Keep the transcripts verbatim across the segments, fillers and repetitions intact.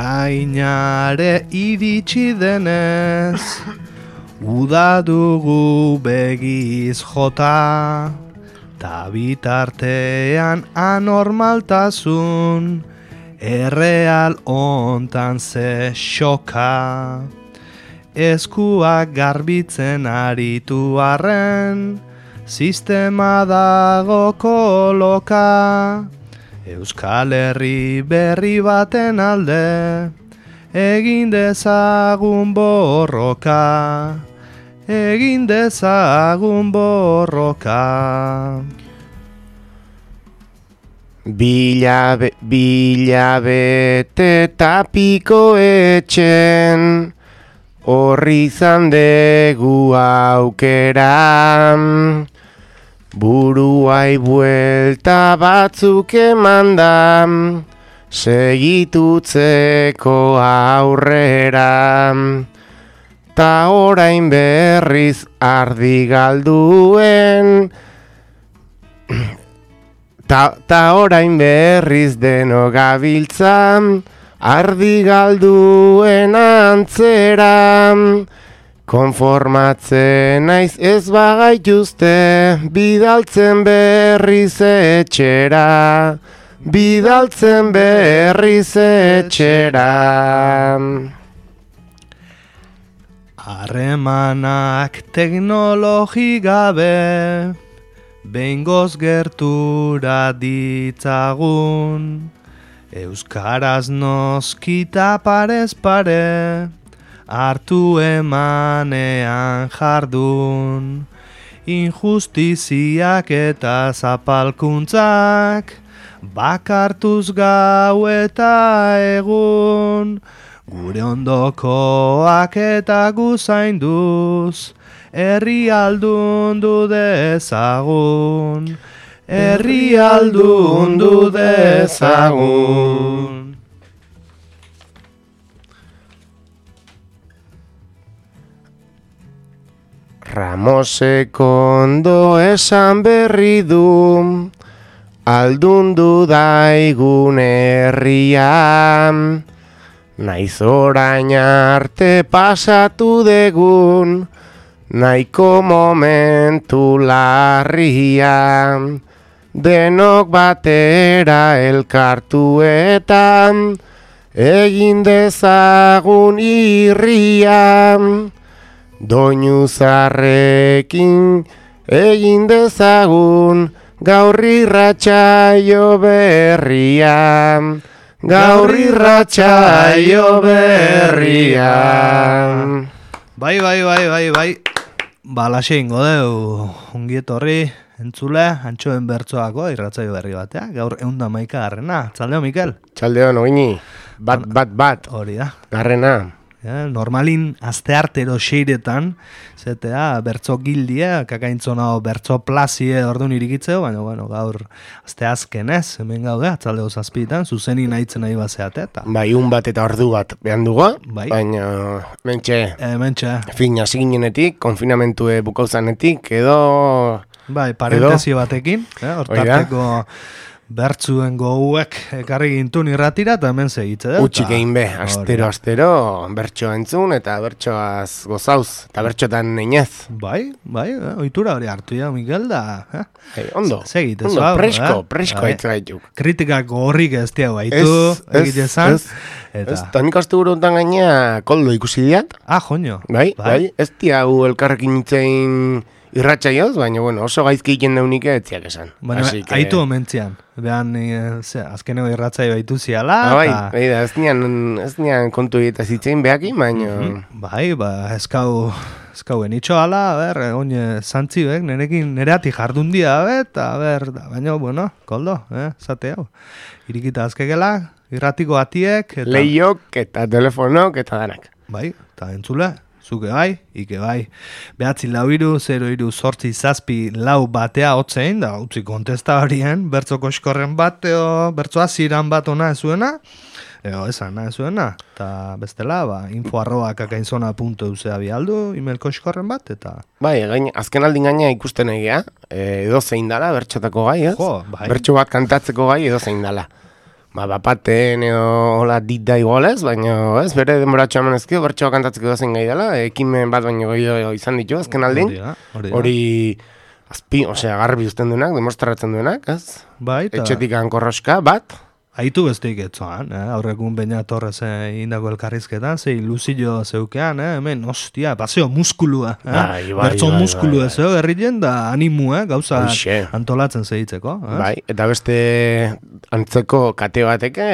Ekainare iritsi denez, uda dugu begiz jota, ta bitartean anormaltasun, erreal ontan ze xoka. Eskuak garbitzen aritu arren, sistema dago koloka. Euskal Herri berri baten alde, egin dezagun borroka, egin dezagun borroka. Bilabe, bilabete tapiko etxen, horri izan degu aukera. Buruai buelta batzuk emanda, segitutzeko aurrera. Ta orain berriz ardi galduen, ta, ta orain berriz deno gabiltza, ardi galduen antzera. Konformatzen naiz ez bagaituzte, bidaltzen berriz etxera, bidaltzen berriz etxera. Harremanak teknologi gabe, behingoz gertura ditzagun, euskaraz noskita parez pare, hartu emanean jardun, injustiziak eta zapalkuntzak, bakartuz gau eta egun, gure ondokoak eta guzainduz, herri aldundu dezagun, herri aldundu dezagun. Ramoseko ondo esan berri du, aldundu daigun herria, naiz orain arte pasatu degun, nahiko momentu larria, denok batera elkartuetan, egin dezagun irria. Doinu zarrekin egin dezagun, gaur irratsaio berria, gaur irratsaio berria. Bai, bai, bai, bai, bai. Balaxe ingo deu, ongietorri, entzule, antxoen bertsoako irratsaio berri batea. Gaur eunda maika garrena. Txaldeo, Mikel? Txaldeo, nogini. Bat, bat, bat. Hori da. Garrena. Ja, normalin asteartero xeiretan, zetea bertso gildia, kakaintzona bertso plazie orduan irikitzeo, baina bueno, gaur asteazkenez, hemen gaude, atzaldeo zazpitan, zuzeni nahitzen nahi bazeate. Ta. Bai, un bat eta ordu bat behan dugu, bai. Baina mentxe, e, mentxe. Fin hasiginenetik, konfinamentue bukauzanetik, edo... Bai, parentesi batekin, eh, hortarteko... Bertzuen goguek ekarri gintun irratira eta hemen segitze dut. Utxik egin be, astero, astero, bertsoa entzun eta bertsoaz gozauz, eta bertxotan neinez. Bai, bai, eh, ohitura hori hartu ya, Mikel, da. Eh? Hey, ondo, segite, ondo, zuago, presko, eh? presko haitz gaituk. Kritikak horrik ez diago haitu, egite zan. Ez, ez, ez, eta nik astu burutan gaina koldo ikusi diat. Ah, joño. Bai, bai, bai ez diagu elkarrekin itzein... Irratsaioz, baina bueno, oso gaizki egiten daunik etziak esan. Baina que... haitu omentzian. Behan, e, ze, azkeneko irratsaio baitu ziala. Ah, bai, ta... bai da, ez nian, ez nian kontu eta zitzein behaki, baina... Mm-hmm. Bai, ba, eskau, eskau enitxo ala, a ber, oine zantzi bek, nerekin, nereati jardun dia, bet, a ber, da, baina, bueno, koldo, eh, zate hau. Irikita azkegela, irratiko atiek... Eta... Leiok eta telefonok eta danak. Bai, eta entzule. Zuke bai, ike bai. Behatzi lau iru, zero iru, sortzi zazpi lau batea hotzein, da utzi kontesta horien, bertzo koskorren bat, eo, bertzo aziran bat ona ezuena, eo, esan, na ezuena. Eta bestela, ba, info arroba kakainzona punto euse abialdu, email koskorren bat, eta... Bai, gain, azken aldin gaina ikusten egia, edo zein dala, bertxotako gai, ez? Jo, bai. Bertxo bat kantatzeko gai, edo zein dala. ba, bapaten edo hola dit da igualez, baina ez, bere denboratxo eman ezkio, bertxoa kantatzeko dozen gai dela, ekimen bat baino gehiago izan ditu, azken aldin, Hori da, hori da. hori azpi, osea, garbi uzten duenak, demostratzen duenak, ez? Bai, eta Etxetik korroska bat, haitu besteik etzoan, eh? Aurrekun Beña Torres eh, indako elkarrizketan, ze ilusio zeukean, eh? Hemen, ostia, paseo muskulua, eh? Bai, bai, Bertso bai, muskulu bai, ez, eh? Gerrien da animu, eh? Gauza Hoxe. antolatzen zehitzeko. Eh? bai, eta beste antzeko kate bateke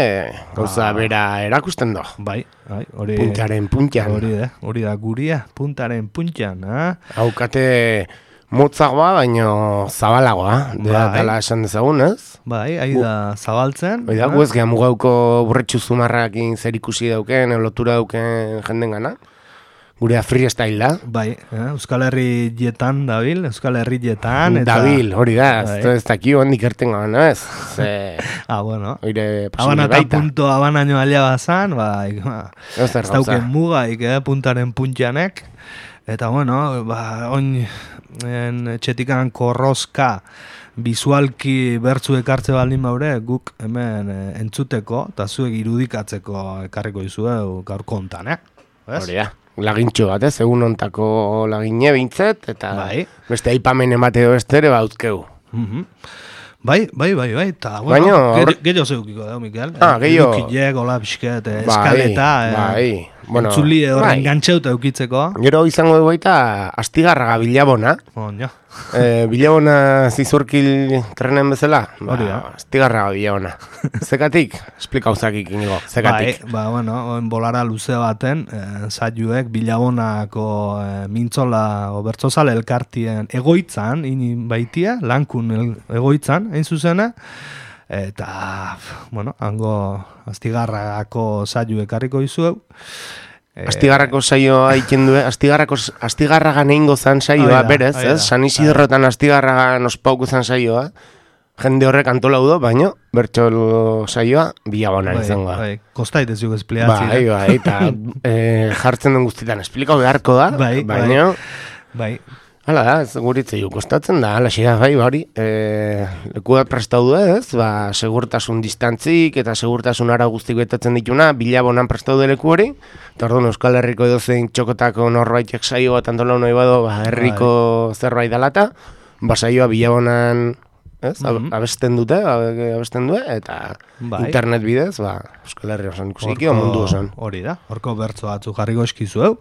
gauza Ah. bera erakusten do. Bai, bai, hori... Puntaren puntian. Hori da, hori da guria, puntaren puntxan, eh? Hau kate motzagoa, baino zabalagoa, dela Bai. tala esan dezagun, ez? Bai, ahi da zabaltzen. Hoi da, eh? gu ez geha mugauko burretxu zumarrakin zer ikusi dauken, lotura dauken jenden gana. Gurea freestyle da. Bai, eh? Euskal Herri jetan dabil, Euskal Herri jetan. Eta... Dabil, hori da, Bai. ez ez daki hondik erten gana, ez? Ze, Ah, bueno. oire Habana posible eta baita. punto abanaino alia bazan, bai, ba, Ez zer ez dauken gauza. mugaik, eh, puntaren puntxanek. Eta bueno, ba, oin en, txetikan korroska bizualki bertzu ekartze baldin baure, guk hemen eh, entzuteko, eta zuek irudikatzeko ekarriko izueu gaurko hontan, eh? Ez? Hori da. Lagintxo bat, ez? Egun ontako lagine bintzet, eta Bai. beste aipamen emate edo estere bauzkeu. Mhm. Bai, bai, bai, bai, eta, bueno, Baino, gehiago aurre- gehiago zeukiko da, Mikel. Ah, gehiago. Edukilek, hola, pixket, eh, Bai, eskaleta, eh, bai. Bueno, entzuli horren bai. gantxeuta eukitzeko. Gero izango dugu baita Astigarraga Bilabona. Oño. E, Bilabona zizurkil trenen bezala? Hori da. Ba, Astigarraga Bilabona. Zekatik? Esplikauzakik inigo. Zekatik? Bai, ba, bueno, oen bolara luze baten, eh, zaiuek Bilabonako eh, mintzola o bertzozale elkartien egoitzan, ini baitia, lankun el, egoitzan, hain zuzena, eta, bueno, hango Astigarragako zaiu ekarriko izueu. Eh, Astigarrako saioa egiten du, Astigarrako Astigarraga neingo zan Hori saioa, da, berez, hori da. ez? San Isidrotan Astigarraga nospauku zan saioa. Jende horrek antolau do, baino, bertxo saioa Bilabonan bai, izango da. bai, kostait ez juk espliatzi. Bai, bai, eta eh, jartzen den guztietan esplikau beharko da, Bai, bai. baino, Bai, hala da, ez guritze kostatzen da, hala da, bai, hori, e, leku bat prestau du ez, ba, segurtasun distantzik eta segurtasun ara guztik betatzen dituna, Bilabonan prestau du leku hori, eta orduan Euskal Herriko edozein txokotako norbaitek saio bat antolau nahi bado, ba, herriko zerbait dalata, ba, saioa Bilabonan, ez, ab- Mhm. abesten dute, abe- abesten du, eta Bai. internet bidez, ba, Euskal Herri osan ikusiko, mundu osan. Hori da, horko bertzo batzu jarriko eskizueu,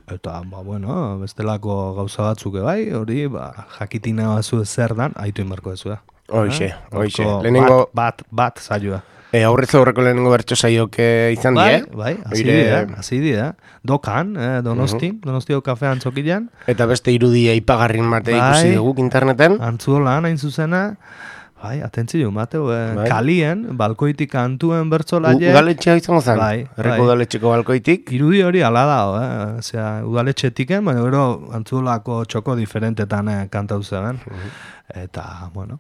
eta, ba, bueno, bestelako gauza batzuk bai, hori, ba, jakitina bazu zer dan, aitu inbarko ez da. Hoixe, hoixe. Horko Lehenengo, Bat, bat, bat, saioa. e, aurrez aurreko lehenengo bertso saioak eh, izan Bai, die, bai, hasi Oire- dira, hasi dira. Dokan, eh, Donostin, Donostio kafean txokilan, eta beste irudia ipagarrin bate Bai. ikusi dugu interneten. antzuolan hain zuzena, bai, atentzio, Mateo, eh, Bai. kalien, balkoitik antuen U- bertzolaie, Udaletxea izango zen, Bai, herriko bai. udaletxeko balkoitik. irudi hori ala dago, eh? Osea, udaletxetiken, baina gero antzuolako txoko diferentetan eh, kantau zeben. Eta, bueno,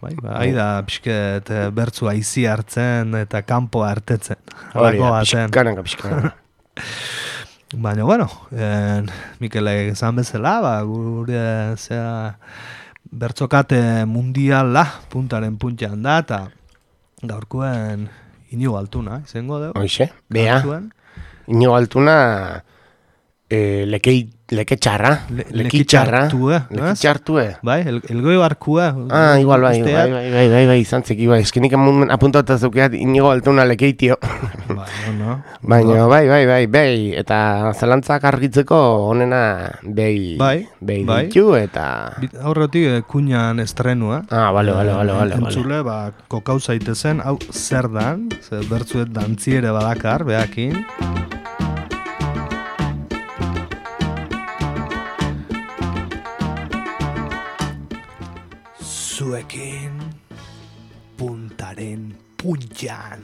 bai, bai, da pixket eh, bertzu aizi hartzen eta kanpo hartetzen. Hori Halako da, baten. pixkanaka, pixkanaka. Baina, bueno, en, Mikelek esan bezala, ba, gure, zera, bertzokate mundiala puntaren puntxan da, eta gaurkoen Inigo Altuna, izango dugu. Hoixe, bea, Kantuen. inigo altuna e, lekei, leke txarra, Le- leki txarra, lekitxartue, leki ez? txartue. Bai, el, elgoi barkua. Ah, igual, bai, bai, usteak. bai, bai, bai, bai, izan zeki, bai, eskenik apuntatu zeukeat inigo altuna lekeitio. Bai, no, Baina, bai, bai, bai, bai, eta zalantzak argitzeko onena behi, Bai, behi bai. ditu, eta... Bit- Aurretik eh, kuñan estrenua. Ah, bale, bale, bale, bale, bale. Entzule, ba, kokau zaitezen, hau zer dan, ze bertzuet dantziere badakar, behakin. Zuekin puntaren puntxan.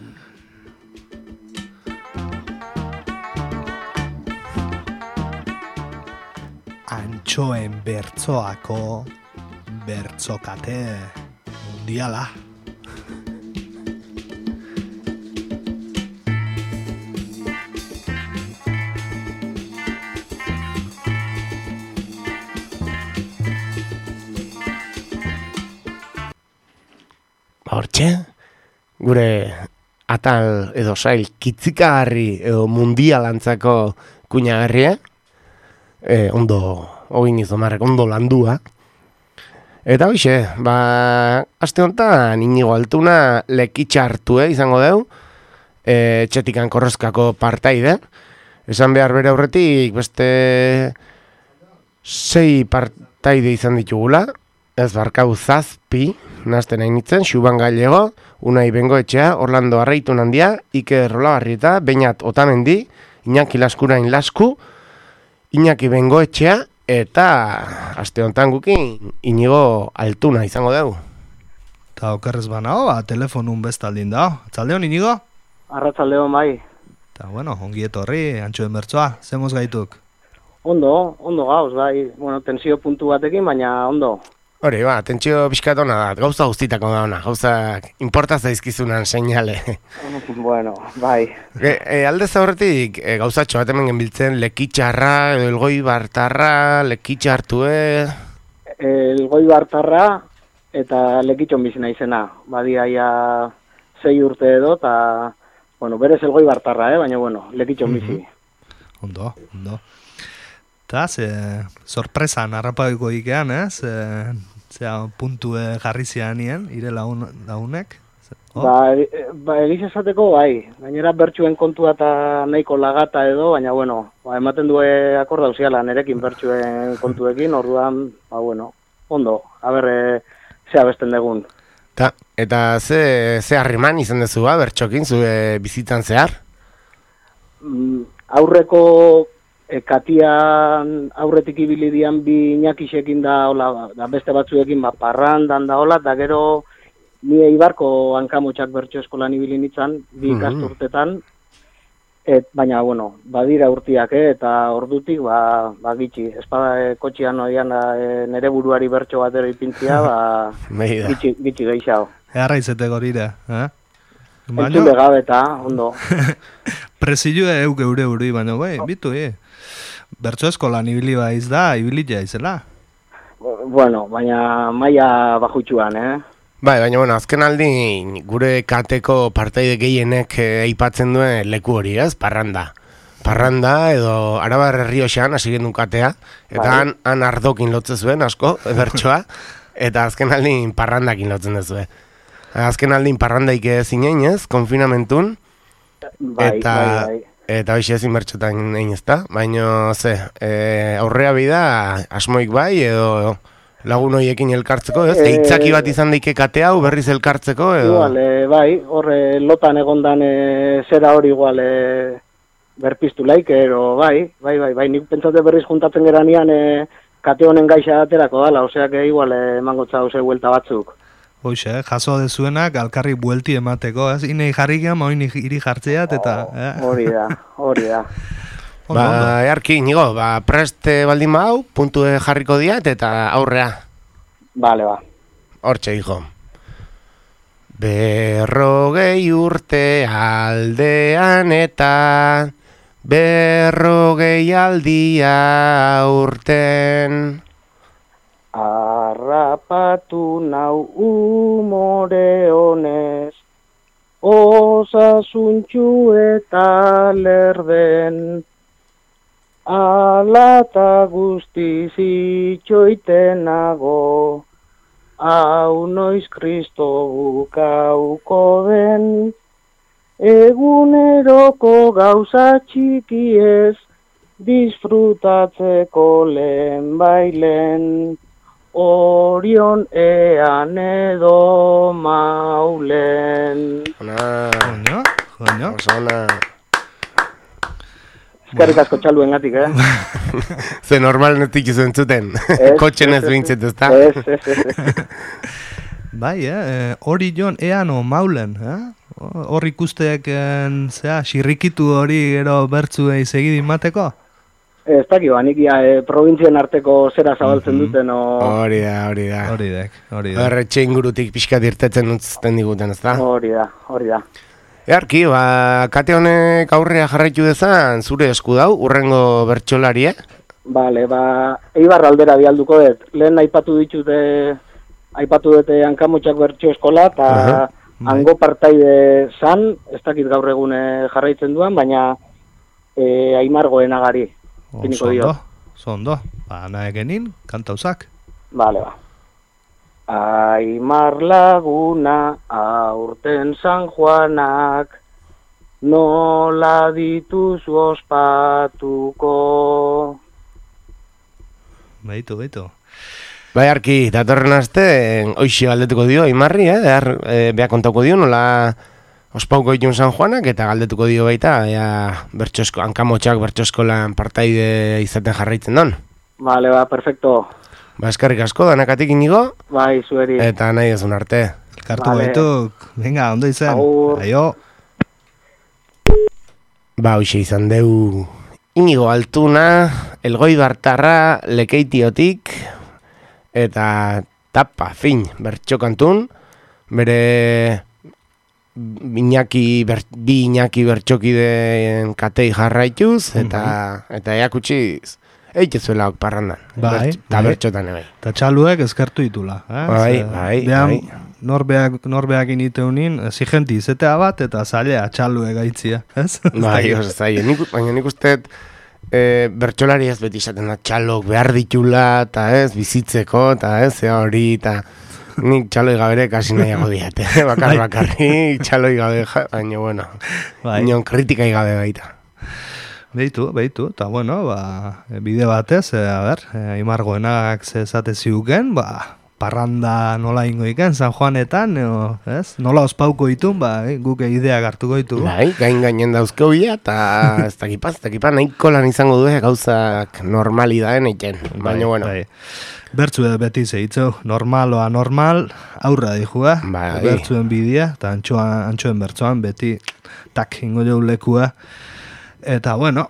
Antxoen bertzoako bertzokate mundiala. Ba, hortxe, gure atal edo sail kitzikagarri edo mundialantzako kuinagarria, e, ondo, hogin izomarrek, ondo landua. Eta hoxe, ba, aste honetan Inigo Altuna lekitxa hartu eh, izango deu, e, txetikan korrozkako partaide. Esan behar bere aurretik beste sei partaide izan ditugula, ez barkau zazpi, nazten hain nitzen, Xuban Gallego, Unai Bengoetxea, Orlando Arraitun handia, Iker Olabarrieta, Beñat Otamendi, Iñaki Laskurain Lasku, Iñaki Bengoetxea, eta aste honetan gukin Inigo Altuna izango dugu. Eta okerrez banao, ba, telefonun bestaldin da. Atzaldeon, Inigo? Arratzaldeon bai. Eta bueno, ongi etorri, Antxoen Bertsoa, zemoz gaituk? Ondo, ondo gauz, bai. Bueno, tensio puntu batekin, baina ondo. Hori, ba, tentsio pixkatona da, gauza guztitako da ona, gauzak importa zaizkizunan seinale. Bueno, bai. E, e, alde zaurretik, e, gauzatxo bat hemen genbiltzen, lekitxarra, edo elgoi bartarra, lekitxa hartue... Elgoi bartarra eta lekitxon bizina izena. Badia ja sei urte edo, eta, bueno, berez elgoi bartarra, eh? Baina, bueno, lekitxon bizi. Mm-hmm. Ondo, ondo. Eta, ze, sorpresan harrapaiko ikean, ez? Eh? Zea, puntu jarri zianien, ire laun, launek? Oh. Ba, e, ba egiz esateko, bai. Gainera bertxuen kontua eta nahiko lagata edo, baina, bueno, ba, ematen due akorda usiala nerekin bertxuen kontuekin, orduan, ba, bueno, ondo, haber, e, zea besten degun. Ta, eta ze, ze harriman izan dezu, ba, bertxokin, zure bizitzan zehar? Mm, aurreko... E, katian aurretik ibili dian bi Iñakixekin da, hola, da beste batzuekin ba, parrandan da hola, da gero ni Eibarko hankamotxak bertso eskolan ibili nitzan, bi ikasturtetan, et, baina, bueno, badira urtiak, eh, eta ordutik, ba, ba gitxi, espada e, kotxian oian e, nere buruari bertso batero ipintzia, ba, gitxi, gitxi geixao. Earra izete gorira, eh? Entzule gabe eta, ondo. Presilua euk eure uri, baina, bai, bitu, eh? Bertso eskolan ibili baiz da, ibili jaizela. Bueno, baina maila bajutxuan, eh? Bai, baina, bueno, azken aldi gure kateko partaide gehienek aipatzen duen leku hori, ez? Parranda. Parranda edo Arabar Errioxan hasi genuen katea, eta bai. han, han ardokin lotzen zuen, asko, bertsoa, eta azken aldin parrandakin lotzen duzue. Azken aldin parrandaik zinen, ez? Konfinamentun. Bai, eta... bai, bai. Eta hoxe ezin bertxotan egin ez da, baina ze, e, aurrea bida asmoik bai edo lagun horiekin elkartzeko, ez? E, Eitzaki bat izan daike kate hau berriz elkartzeko edo? Igual, e, bai, horre lotan egondan e, zera hori igual e, berpiztu laik, ero bai, bai, bai, bai, nik pentsate berriz juntatzen geranean e, kate honen gaixa aterako dala, oseak igual emango txau ze huelta batzuk. Hoxe, eh? Jaso dezuenak alkarri buelti emateko, ez? Inei jarri gehan, oin iri jartzeat, eta... Hori eh? da, hori da. Ba, earki, Inigo, ba, preste baldin bau, puntu jarriko diat, eta aurrea. Bale, ba. Hortxe, hijo. Berrogei urte aldean eta berrogei aldia urten... Arrapatu nau umore honez, osasuntxu eta lerden, alata guztiz itxoitenago, hau noiz Kristo bukauko den, eguneroko gauza txikiez, disfrutatzeko lehen bailen, Orion ean edo maulen. Ona. Ona, ona. Ona. Eskerrik asko txaluen gatik, eh? Ze normal netik izu entzuten. Kotxen ez bintzet, ez da? Ez, ez, ez. Bai, eh? Orion ean o maulen, eh? Hor ikusteak, zera, xirrikitu hori gero bertzuei segidin mateko? Ez dakit, nik ja, e, provintzien arteko zera zabaltzen duten, o... Hori da, hori da. Hori da, hori da. Horretxe ingurutik pixkat irtetzen utzten diguten, ez da? Hori da, hori da. Earki, ba, kate honek aurrea jarraitu dezan, zure esku dau, urrengo bertxolarie? Bale, ba, Eibar aldera bialduko dut. Lehen aipatu ditute, aipatu dute hankamotxak bertxo eskola, eta... Uh-huh. hango partaide zan, ez dakit gaur egun eh, jarraitzen duan, baina eh, Aimar Goenagari. Oso ondo, oso ondo. Ba, nahekenin, kantauzak. Bale, ba. Aimar laguna, aurten San Juanak, nola dituzu ospatuko. Beitu, beitu. Bai, arki, datorren aste, hoxe galdetuko dio, Aimarri, eh? Behar, eh, beha kontauko dio, nola ospauko ditun San Juanak, eta galdetuko dio baita, ea, bertxosko, hankamotxak bertxoskolan partaide izaten jarraitzen don. Bale, ba, perfecto. Ba, eskarrik asko, danakatik inigo, Bai, zueri. eta nahi ezun arte. Elkartu Vale. baituk, venga, ondo izen. Agur. Aio. Ba, hoxe izan deu Inigo Altuna, Elgoi Bartarra, Lekeitiotik, eta tapa, fin, bertxokantun, bere Iñaki, ber, bi Iñaki bertxokideen katei jarraituz, eta, eta eakutsiz, eitezuela ok parrandan. Bai, Eta bai. bertxotan ebe. Eta txaluek eskertu ditula. Eh? Bai, Ze, bai, behan, bai. Norbeak, norbeak initeunin, exigenti izetea bat, eta zailea txaluek gaitzia. Ez? Bai, oso zaila. Nik, baina nik uste e, bertxolari ez beti izaten da txalok behar ditula, eta ez, bizitzeko, eta ez, ea hori, eta nik txaloi gabere kasi nahiago diate. Bakar bakarri, txaloi gabe, ja, baina, bueno, Bai. inon kritikai gabe baita. Beitu, beitu, eta bueno, ba, bide batez, e, a ber, e, Aimar Goenak ze esate ziuken, ba, parranda nola ingo iken, San Juanetan, o, ez? Nola ospauko itun, ba, eh, guk ideak hartuko ditugu. Bai, gain gainen dauzko bila, eta ez dakipaz, ez dakipaz, nahiko lan izango du gauzak normalidaden egiten. Baina, bueno, Bai. Bertzu edo beti zeitzeu, normal oa normal, aurra dijua, Bai. bertzuen bidea, eta antxoan, antxoen bertzoan beti, tak, ingo jau lekua. Eta, bueno,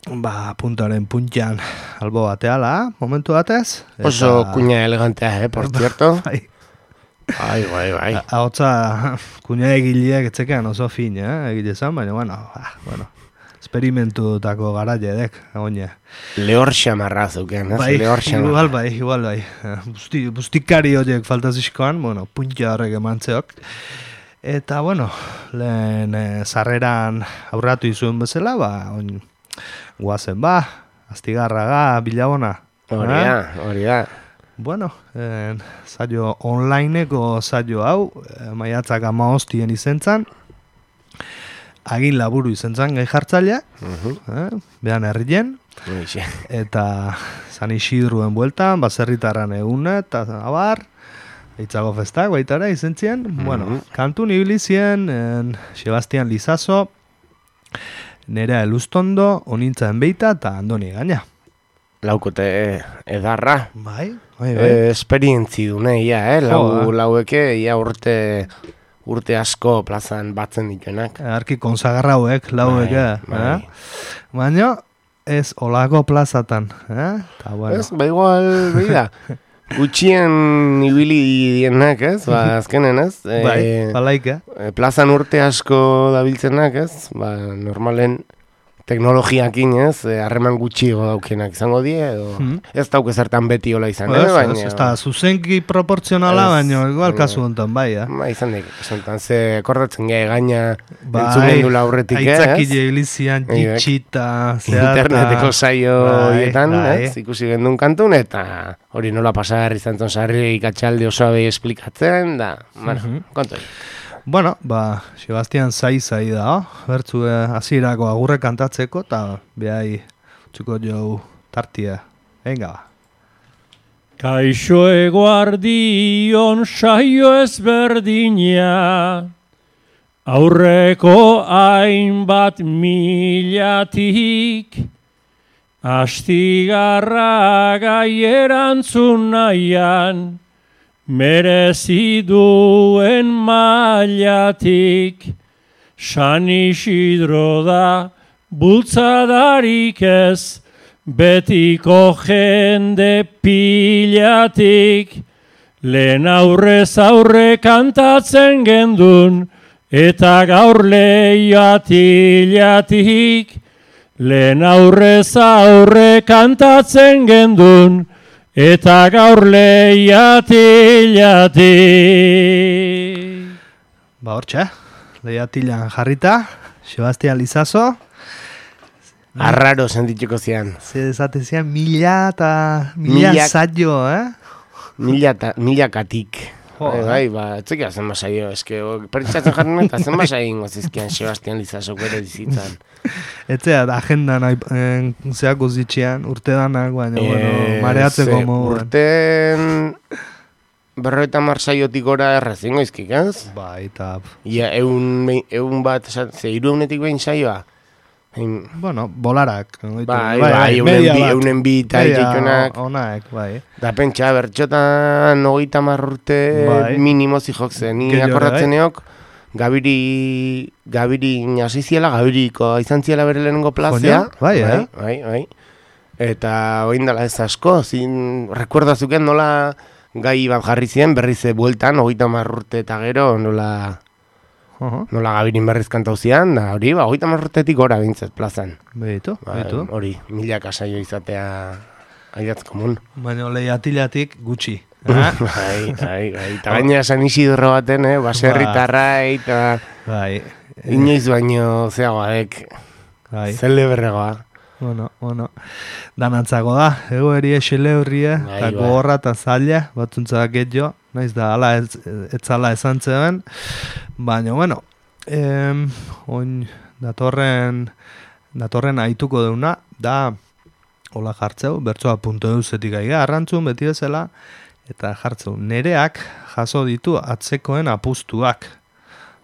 ba, puntaren puntxan albo bateala, momentu batez. Eta, oso kuña elegantea, eh, por cierto. Bai, Bai, bai, bai. ahotza kuña egileak etzekean oso fin, eh, egile zan, baina, bueno, ba, bueno, esperimentutako garaiedek, agonia. Lehor xamarra zeuken, ez? Bai, Lehor xamarra. igual bai, igual bai. Busti, bustikari horiek faltazizkoan, bueno, puntxa horrek emantzeok. Eta, bueno, lehen e, sarreran aurratu izuen bezala, ba, oin, guazen ba, astigarraga, bilabona. Hori Eh? da, hori da. Bueno, en, saio onlineko saio hau, e, maiatzak amahostien izentzan, agin laburu izentzan gai jartzailea, eh? Behan herrien, Hoxe. eta San Isidruen bueltan, baserritarran eguna, eta abar, Eitzago festak baitara izentzien, bueno, kantun ibilizien, en, Sebastian Lizazo, Nerea Elustondo, Onintzaen Beita, eta Andoni Gaina. Laukote edarra. Bai, bai, bai. E, esperientzi dune, ia, eh? Lau, Jo, eh. laueke, ia urte, urte asko plazan batzen dituenak. Arki konsagarrauek, lauek, Bai, eh? bai. eh? Baina, ez olako plazatan, eh? Ta bueno. Ez, ba igual, beida. Gutxien ibili dienak, ez? Ba, azkenen, ez? E, Bai, balaika. e, plazan urte asko dabiltzenak, ez? Ba, normalen teknologiakin, ez? E, harreman gutxiago daukenak izango die, edo Mhm. ez dauke zertan beti hola izan, Ez, eh? Baina, ez, ez da, zuzenki proportzionala, Ez, baina igual baina- kasu honetan, bai, eh? Ba, izan dik, esantan, ze akordatzen gai gaina Bai, entzumen dula aurretik, eh, aitzakile ez? ilizian, Bai, jitxita, zeata. Interneteko saio Bai, horietan, bai. ez? Ikusi gendun kantun, eta hori nola pasar izan zon sarri ikatxalde osoa behi esplikatzen, da, bueno, Mhm. kontu. Bueno, ba, Sebastian Zai-Zai da, oh? Bertzu hasierako agurre kantatzeko, eta behai txuko jau tartia. Venga, ba. Kaixo eguardion saio ezberdina, aurreko hainbat milatik, astigarra gai erantzun nahian, merezi duen mailatik, San Isidro da bultzadarik ez, betiko jende pilatik, lehen aurrez aurre kantatzen gendun, eta gaur lehiatilatik, lehen aurrez aurre kantatzen gendun, eta gaur lehiatilatik. Ba, hortxe, lehiatilan jarrita, Sebastian Lizaso. Arraro sentituko zian. Ze desate zian, mila eta mila Milak- saio, eh? Mila, ta, mila katik. Jo, bai, eh? bai, ba, etzeki zen basaio, eske, pertsatzen jarren eta zen basaio ingo zizkian Sebastian Lizaso bere bizitzan. Etzea, agendan eh, zeako zitxean, urte danak, baina, bueno, mareatzeko ze, moduan. Urten berroita marsaiotik gora errezingo izkik, ez? Bai, eta, Ia, eun, eun bat, esan- ze hiru eunetik behin saioa. Ein, bueno, bolarak. oitu, Bai, bai, eunen media bi, bat. eunen bi eta Media ikitunak. onak, bai. Da pentsa, bertxotan hogeita hamar urte Bai. minimo zihok zen. Ni Gehiago, akordatzen bai. neok, Gabiri, Gabiri hasi ziela, Gabiriko izan ziela bere lehenengo plazea. Joño, bai, eh? Bai, bai. Eta oin dela ez asko, zin, recuerda zuken nola gai bat jarri ziren, berriz ze bueltan, hogeita hamar urte eta gero, nola, Oho, nola Gabirin berriz kantau zian, da hori, ba, hogeita hamar urtetik gora bintzat plazan. behitu, Ba, behitu. hori, milaka saio izatea aiatz komun. Baina lehiatilatik gutxi. Eh? Bai, bai, bai. Eta gaina San Isidro baten, eh? Baserritarra, eta Bai, inoiz baino zeagoadek. bai. Zeleberregoa. Bueno, bueno. Danantzako da, egoeri esile horrie, Bai, eta bai. gogorra eta zaila, batzuntza getxo, naiz da, ala ez, ez zala esan zeben, baina, bueno, em, oin, datorren, datorren aituko deuna, da, hola jartzeu, bertsoa punto eusetik aiga, arrantzun beti bezala, eta jartzeu, nereak jaso ditu atzekoen apustuak.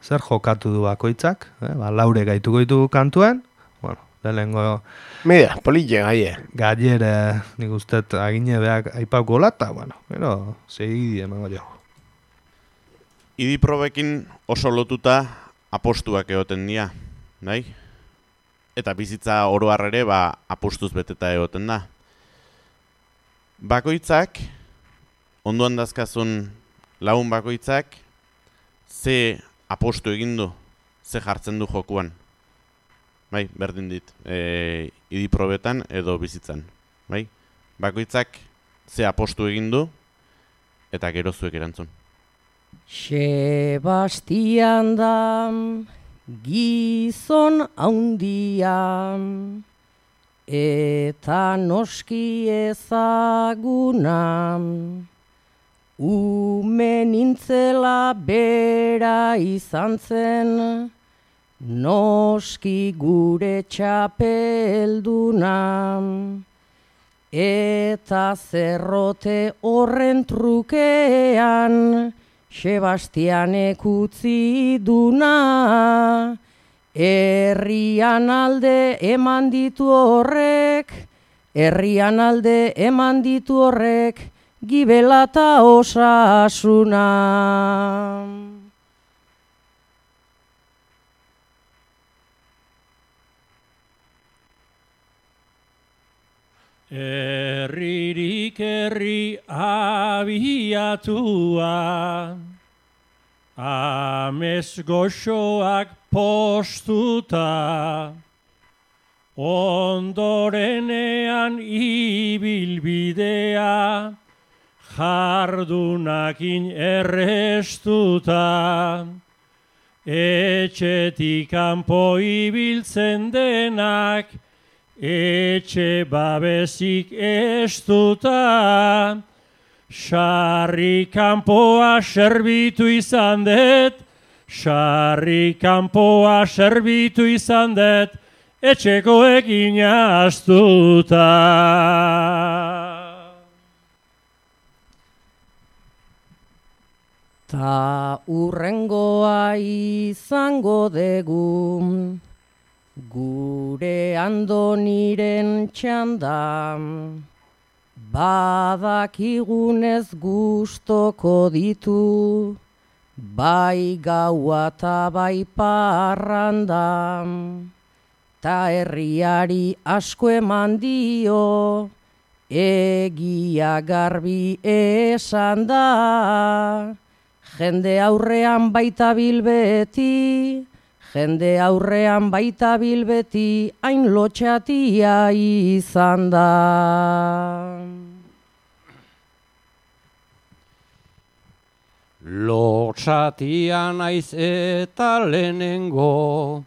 Zer jokatu du bakoitzak, eh? Ba, laure gaituko ditu kantuen, bueno, lehenengo Mira, politxe gaie. gaiere nik ustet agine beak aipauko lata, bueno, pero segi emango jo. Idiprobekin oso lotuta apostuak egoten dira, nahi? Eta bizitza oro har ere ba apostuz beteta egoten da. Bakoitzak, ondoan dazkazun lagun bakoitzak, ze apostu egin du, ze jartzen du jokuan. Bai, berdin dit, e, idiprobetan edo bizitzan. Bai? Bakoitzak ze apostu egin du, eta gero zuek erantzun. Sebastian da gizon haundia eta noski ezaguna, ume nintzela bera izan zen, noski gure txapelduna, eta zerrote horren trukean, Sebastianek utzi duna, herrian alde eman ditu horrek, herrian alde eman ditu horrek, gibela eta osasuna. Herririk herri abiatua, amez goxoak postuta, ondorenean ibilbidea, jardunakin errestuta, etxetik kanpo ibiltzen denak, etxe babesik estuta, sarri kanpoa serbitu izan dut, sarri kanpoa serbitu izan dut, etxekoekin astuta. Ta urrengoa izango dugu, gure Andoniren txanda, badakigunez gustoko ditu, bai gaua eta bai parranda, ta herriari asko eman dio, egia garbi esan da, jende aurrean baita bilbeti, jende aurrean baita bilbeti, hain lotxatia izan da. Lotsatia naiz eta lehenengo,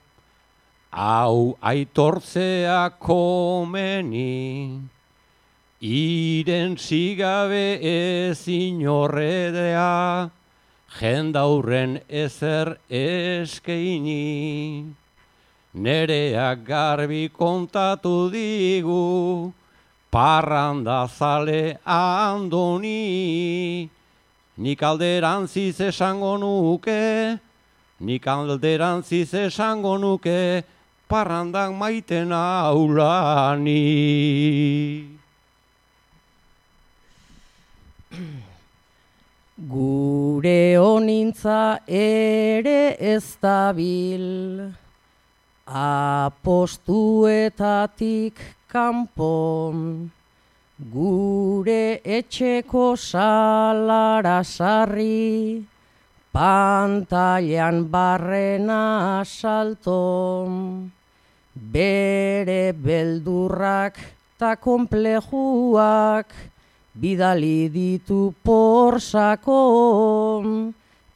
hau aitortzea komeni, irentzigabe ez inorredea, jendaurren ezer eskeini. Nereak garbi kontatu digu, parranda zale andoni. Nik alderantziz esango nuke, nik alderantziz esango nuke, parrandak maiten aulani. Gure honintza ere ez dabil, apostuetatik kanpon, gure etxeko salara sarri, pantailan barrena salton, bere beldurrak ta konplejuak, bidali ditu porsakon,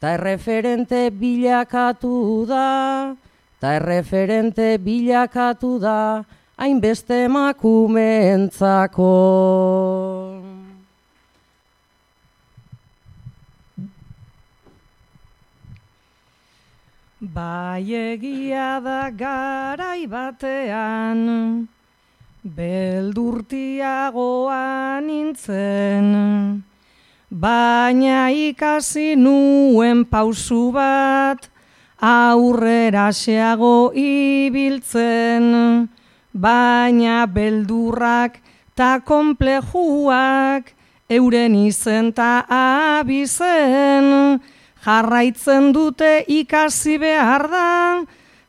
ta erreferente bilakatu da, ta erreferente bilakatu da, hainbeste emakumeentzako. Bai egia da garai batean, beldurtiagoa nintzen, baina ikasi nuen pausu bat, aurrera xeago ibiltzen, baina beldurrak ta konplejuak euren izen ta abizen, jarraitzen dute ikasi behar da,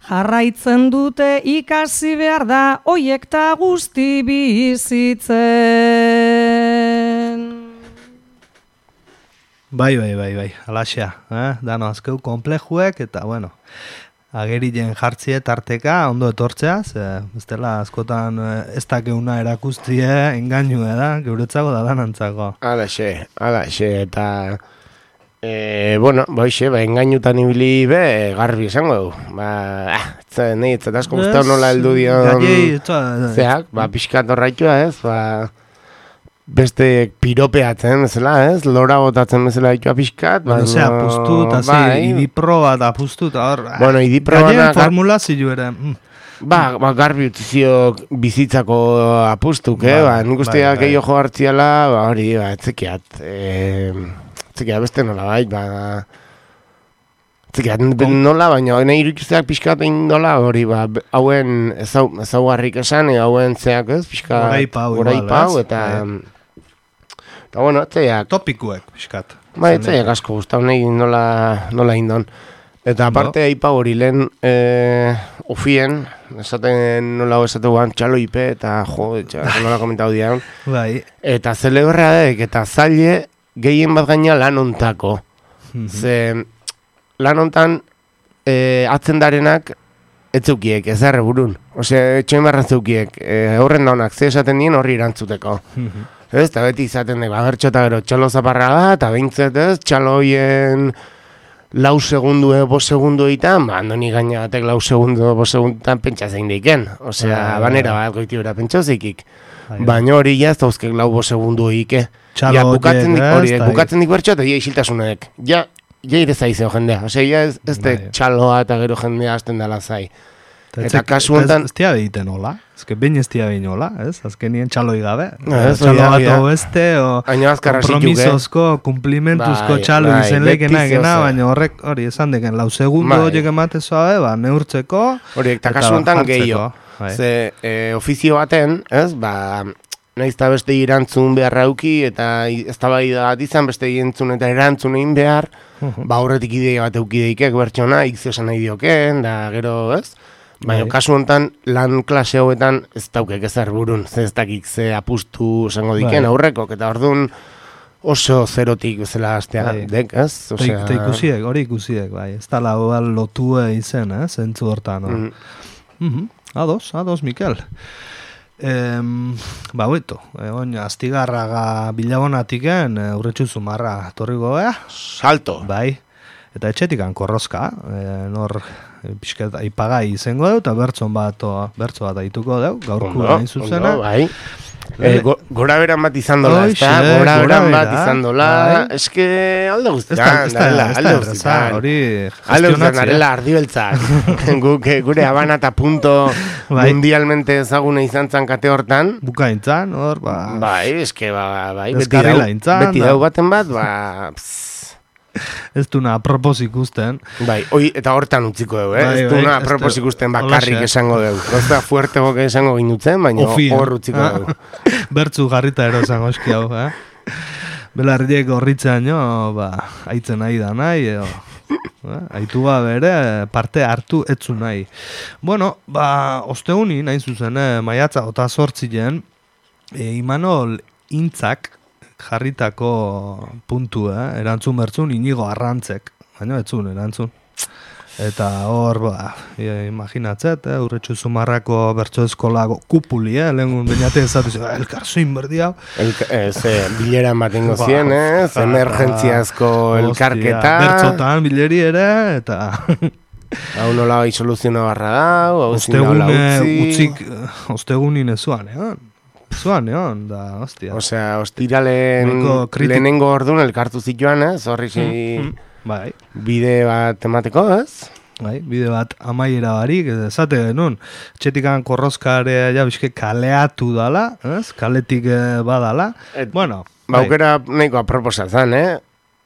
jarraitzen dute ikasi behar da, oiek ta guzti bizitzen. Bai, bai, bai, bai, alaxea, eh? Dano azkeu konplejuek, eta, bueno, agerien jartzie tarteka, ondo etortzea, ze, ez dela askotan ez dakeuna erakustie, engainu da, geuretzako da danantzako. Alaxe, alaxe, eta, e, bueno, boixe, ba, engainutan ibili be, garbi esango du. Ba, ah, ez nahi, ez asko guztau nola heldu dion, zeak, ba, pixkat horraitua ez, ba, beste piropeatzen, bezala, ez? Lora botatzen bezala ditua pixkat. Bueno, zea, apustu, eta zi, idipro bat apustu, eta hor... Bueno, idipro bat... Gaien formula zilu ere... Mm. Ba, ba, garbi utzizio bizitzako apustuk, eh? Ba, nik usteak bai, eio jo hartziala, ba, hori, ba, etzekiat. E, etzekiat beste nola, bai, ba... Etzekiat nola, baina nahi irukizteak pixkat egin dola, hori, ba, hauen ezaugarrik esan, hauen zeak, ez? Pixkat... Horaipau, horaipau, eta... Eta, bueno, etzeiak... Topikuek, pixkat. Ba, etzeiak asko guztau nahi nola, nola indon. Eta aparte, aipau hori lehen e, ofien, esaten nola esate guan, txalo ipe, eta jo, etxak, nola komentau dian. Bai. Eta zeleberradek, eta zaile gehien bat gaina lan ontako. Ze lan ontan e, atzen darenak etzeukiek, ez erre burun. Ose, etxoin barran zeukiek, e, horren daunak, ze esaten dien horri erantzuteko. Ez, eta beti izaten dugu, agertxo eta gero txalo zaparra da, eta behintzet ez, txaloien lau segundu edo bost segundu egiten, ba, andoni gaina batek lau segundu edo bost segunduetan pentsa zein deiken. Osea, banera bat goiti bera pentsa zeikik. Baina hori jaz, dauzkek lau bost segundu egike. Ja, bukatzen dik hori, bukatzen dik bertxo, eta ja isiltasunek. Ja, ja ire zaizeo jendea. Osea, ja ez, ez de txaloa eta gero jendea hasten dela zai. Eta kasu honetan... Ez tia behiten hola, ez que bain ez tia behin hola, ez? Azkenien txaloi gabe. Txalo bat oeste, o kompromisozko, kumplimentuzko txalo izen leikena egena, baina horrek hori esan deken, lau segundo horiek ematezoa be, ba, neurtzeko. Horiek, eta kasu honetan gehiago. Ze, ofizio baten, ez, ba... Naiz eta beste irantzun behar rauki, eta ez da bai da bat izan, beste irantzun eta erantzun egin behar, ba horretik ideia bat eukideikek bertxona, ikzio esan nahi dioken, da gero, ez? Baina, kasu honetan, lan klase hauetan ez daukek ezer burun, ze ez dakik ze apustu esango diken aurrekok, eta orduan oso zerotik bezala astea dek, ez? Eta ikusiek, hori ikusiek, bai, ez da lau lotue izen, ez? Zentzu hortan, no? Ados, ados, Mikel. Em, ba, beto, egon, astigarraga bilabonatiken, urretxu zumarra torriko bea. Salto. Bai, eta etxetikan korrozka, e, nor pixket aipagai izango deu, eta bertzon bat, bertzo bat aituko deu, gaurko hain zuzena. Ondo, bai. Eh, go, gora beran bat izan dola, ez da? Gora beran bat izan dola. Ez que alde guztian, darela, alde guztian. Alde guztian, darela, ardibeltzak. Gure Habana eta punto mundialmente ezaguna izan zan kate hortan. Bukaintzan, hor, ba... Bai, ez que, ba, bai, beti dau baten bat, ba... Ez duna apropos ikusten. Bai, oi, eta hortan utziko dugu, eh? Bai, ez duna bai, apropos ikusten bakarrik esango dugu. Gozta fuerte boke esango ginutzen, baina hor utziko dugu. Bertzu jarrita ero esango eski hau, eh? Belarriek horritzean jo, ba, aitzen nahi da nahi, edo... Eh? Aitu bere parte hartu etzu nahi. Bueno, ba, osteguni nahi zuzen, eh? Maiatza ota sortzien, e, Imanol Intzak, jarritako puntu, eh? Erantzun bertzun inigo arrantzek, baina etzun erantzun. Eta hor, ba, e, imaginatzet, eh? Urretxu zumarrako bertso eskolako kupuli, eh? Lehengun bainate ezatu, elkar zoin berdi hau. Ez, bilera matengo zien, eh? Emergentziazko elkarketa. Bertzotan bileri ere, eta... Hau nola bai soluzioa barra dau, hau zin nola utzi. Ostegunin ezuan, eh? Zuan, egon, da, hostia. Osea, ostiralen lehenengo orduan elkartu zituan, ez? Horri mm, mm, bai. Bide bat emateko, ez? Bai, bide bat amaiera barik, esate genuen, txetikan korrozkarea ja bizke kaleatu dala, ez? Kaletik badala. Et, bueno, baukera bai. Nahiko aproposatzen, eh?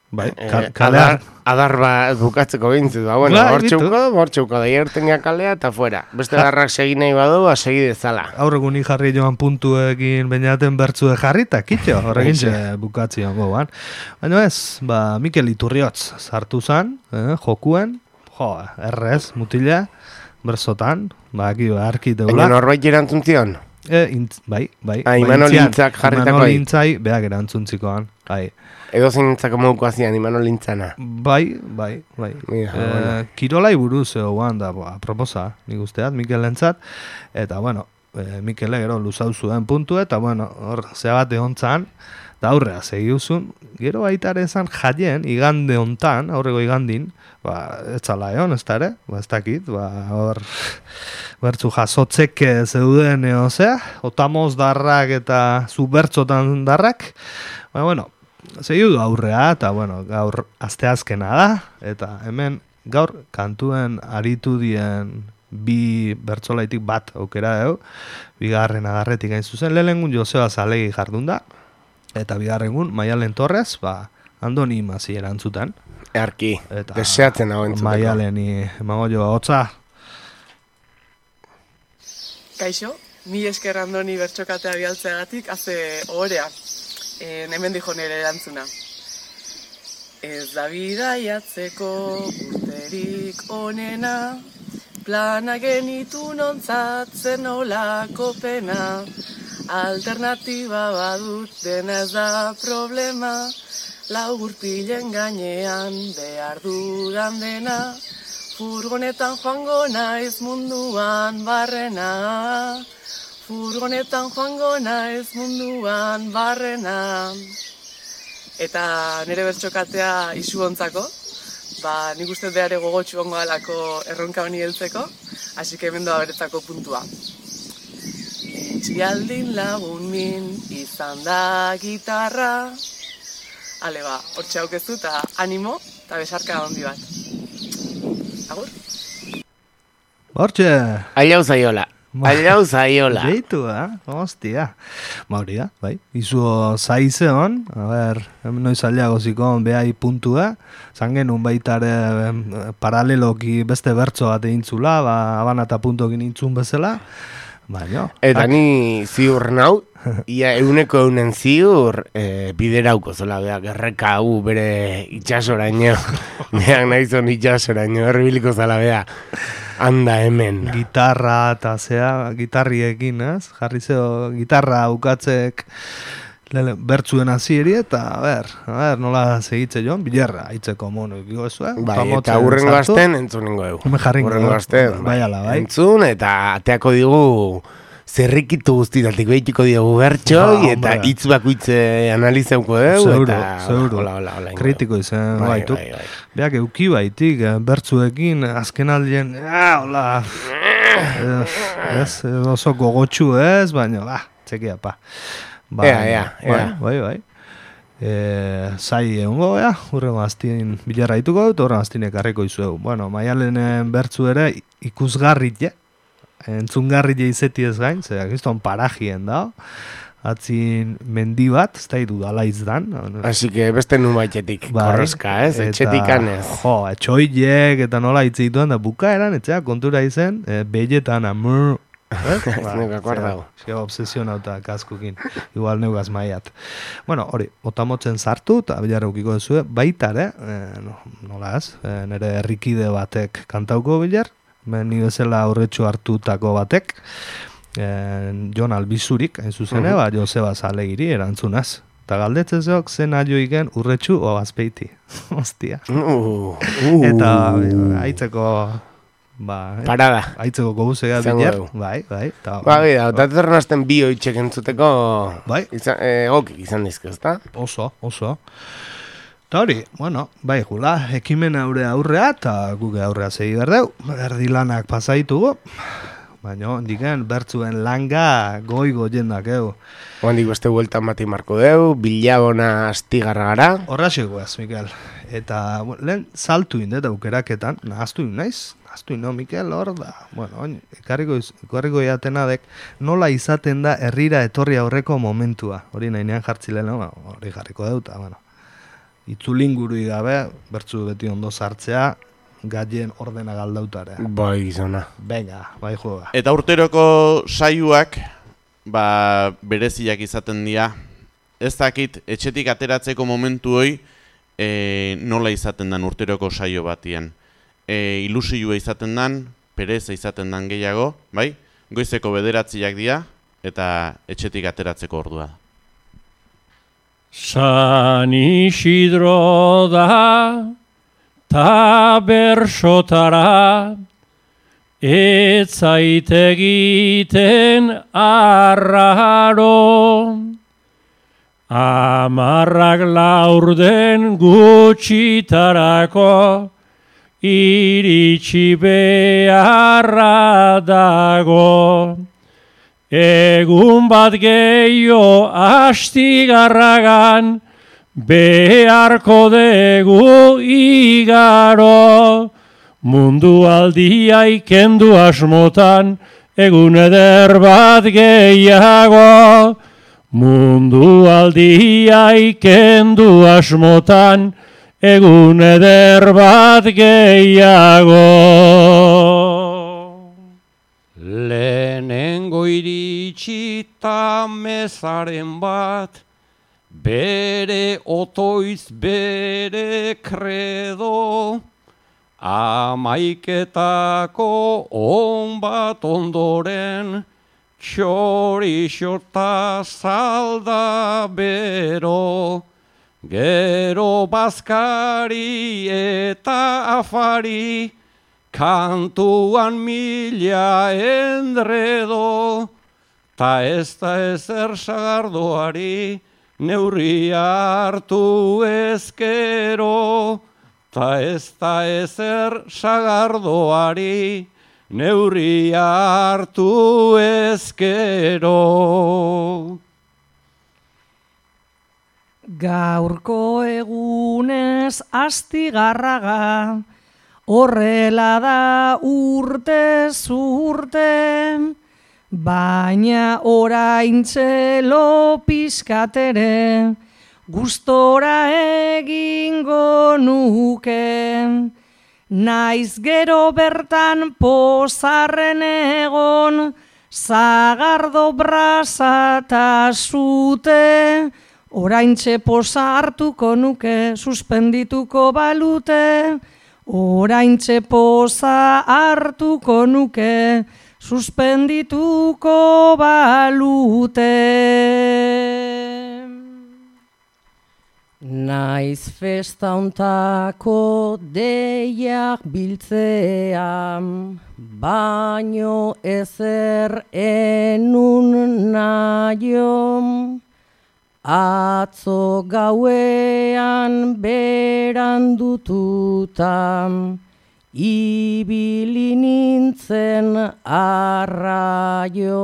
Bai, eh, adar, adar bat bukatzeko bintzit, ba, bueno, hor txuko, hor txuko, da hiertenia kalea eta fuera. Beste darrak segin nahi badu, ba, segi dezala. Aurregun jarri joan puntuekin bainaten bertzu jarri, eta kitxo, horrekin ze bukatzion goban. Baina ez, ba, Mikel Iturriotz sartu zan, eh, jokuen, jo, errez, mutila, berzotan, ba, aki, arki deula. Baina norbait erantzun zion? E, intz, bai, bai. Ah, Imanol Intzak jarritako. Imanol Intzai, beak erantzuntzikoan, bai. Edo zein nintzako moduko azian, Imanol Intzana. Bai, bai, bai. Mira, e, bueno. Kirolai buruz egoan da, boa, proposa, nik usteat, Mikel entzat, eta, bueno, e, Mikele gero luzau zuen puntu, eta, bueno, hor, zea bat ehontzan, da aurrea segiuzun, gero baitare esan jaien, igande hontan, aurrego igandin, ba, ez zala egon, ez da ere, ba, ez dakit, ba, hor, bertzu jasotzek zeuden, eo, zea, otamoz darrak eta zu bertzotan darrak, ba, bueno, segiu du aurrea, eta, bueno, gaur asteazkena da, eta hemen gaur kantuen aritu dien bi bertzolaitik bat aukera deu, bigarren agarretik hain zuzen, lehengun Joseba Zalegi jardun da, eta bigarrengun Maialen Torres, ba, Andoni Masi erantzutan. Earki, deseatzen hau entzuteko. Maialeni emango jo hotza. Kaixo, mi esker Andoni bertsokatea bialtzeagatik, haze ohorea. En, hemen dijo nire erantzuna. Ez da bidaiatzeko urterik onena, plana genitu nontzatzen olako pena, alternatiba badut dena ez da problema, lau gurpilen gainean behar dudan dena, furgonetan joango naiz munduan barrena, furgonetan joango naiz munduan barrena. Eta nire bertsokatea isu ontzako, ba, nik uste behare gogotxu ongo alako erronka honi heltzeko, hasi que hemen doa beretzako puntua. Itxialdin lagun min izan da gitarra, ale ba, hortxe haukezu eta animo eta besarka handi bat. Agur? Hortxe! Aiau zaiola. Aiau zaiola. Deitu, eh? Hostia. Mauri da, bai. Izu zaize hon, a ber, noiz aliago zikon behai puntua, zangenun baitare paraleloki beste bertso bat egintzula, ba, Habana eta puntokin intzun bezala, baina. Eta ni ziur nau, ia euneko eunen ziur e, biderauko zola, beak erreka hau bere itxasoraino, beak nahizon itxasoraino, erribiliko zala, beak. Anda hemen. Gitarra eta zea, gitarriekin, ez? Jarri zeo, gitarra ukatzek bertzuen azieri eta, a ber, a ber, nola segitze joan, bilerra, hitzeko mono ikiko ezue. Bai, eta hurrengo azten entzun ningo egu. Hurrengo azten, bai, ala, bai. Entzun eta ateako digu zerrikitu guztitatik behituko diogu bertxo, Ba, eta hombre. hitz bakoitze analizeuko dugu, Seguro, eta seguro. hola, hola, hola. Kritiko izan, Bai, baitu. bai, bai. Beak euki baitik, eh, bertzuekin, azken aldien, ah, hola, ez, oso gogotxu ez, baina, ba, txekia, pa. Ba, Ea, ea, bai, ea. bai, bai. E, zai egongo, ea, urrengo aztien bilarra dituko dut, urrengo aztien ekarriko izuegu. Bueno, maialenen bertzu ere ikusgarrit, ja, entzungarrit izeti ez gain, zerak izton parajien da, atzin mendi bat, ez da idudala izdan. Así que beste nun baitetik, Bai, korroska, ez? eta, Etxetikan ez. Jo, etxoiek eta nola hitz dituen, da bukaeran, etxea kontura izen, e, belletan amur, ez? Ez neuk akuardago. Zega obsesionauta kaskukin, igual neugaz maiat. Bueno, hori, otamotzen sartu, eta bilarra ukiko duzue, baitare, e, no, nola ez, e, nire herrikide batek kantauko bilar, ni bezala aurretxu hartutako batek, e, Jon Albizurik, hain zuzene, Mhm. ba, Joseba Zalegiri erantzunaz. Eta galdetzezok zen aioiken urretxu o azpeiti. Ostia. Uh, uh. Eta haitzeko, ba, eh, Parada. haitzeko gobuzega Izango bilar. dugu. Bai, bai. Ta, Ba, gira, eta zerren bi oitxek entzuteko Bai. izan, eh, okik izan dizke, ezta? Oso, oso. Eta hori, bueno, bai, jula, ekimen aurre aurrea, eta guge aurrea segi berdeu, erdi lanak pasaitugu, baina, diken, bertzuen langa goigo jendak, egu. Oandik beste bueltan bati marko deu, bilabona astigarra gara. Horra ez, Mikel. Eta, bueno, lehen saltu indet aukeraketan, nahaztu in naiz, nahaztu in, no, Mikel, hor da, bueno, oin, ekarriko, ekarriko jatenadek, nola izaten da herrira etorri aurreko momentua, hori nahinean jartzile, no? Hori jarriko deuta, bueno. Itzulingurui gabe, bertzu beti ondo sartzea, gaien ordena galdautare. Bai, gizona. Venga, bai juega. Eta urteroko saioak, ba, bereziak izaten dira. Ez dakit, etxetik ateratzeko momentu hoi, e, nola izaten dan urteroko saio batien. E, ilusioa izaten dan, pereza izaten dan gehiago, bai? Goizeko bederatziak dira, eta etxetik ateratzeko ordua. San Isidro da, ta bersotara, ez zait egiten arraro. Amarrak laurden gutxitarako, iritsi beharra dago. Egun bat gehiago astigarragan, beharko dugu igaro. Mundu aldia ikendu asmotan, egun eder bat gehiago. Mundu aldia ikendu asmotan, egun eder bat gehiago. Lehenengo iritsi ta mezaren bat, bere otoiz bere kredo, amaiketako on bat ondoren, txorixota salda bero, gero bazkari eta afari, kantuan mila endredo, ta ez da ezer sagardoari, neurri hartu ezkero, ta ez da ezer sagardoari, neurri hartu ezkero. Gaurko egunez astigarraga, horrela da urtez urte, baina oraintxe lo pizkatere, gustora egingo nuke. Naiz gero bertan pozarren egon, zagardo brasa ta zute, oraintxe poza hartuko nuke, suspendituko balute, oraintxe poza hartuko nuke, suspendituko balute. Naiz festauntako deiak biltzean, baino ezer enun nahiom. Atzo gauean berandututan, ibili nintzen arraio.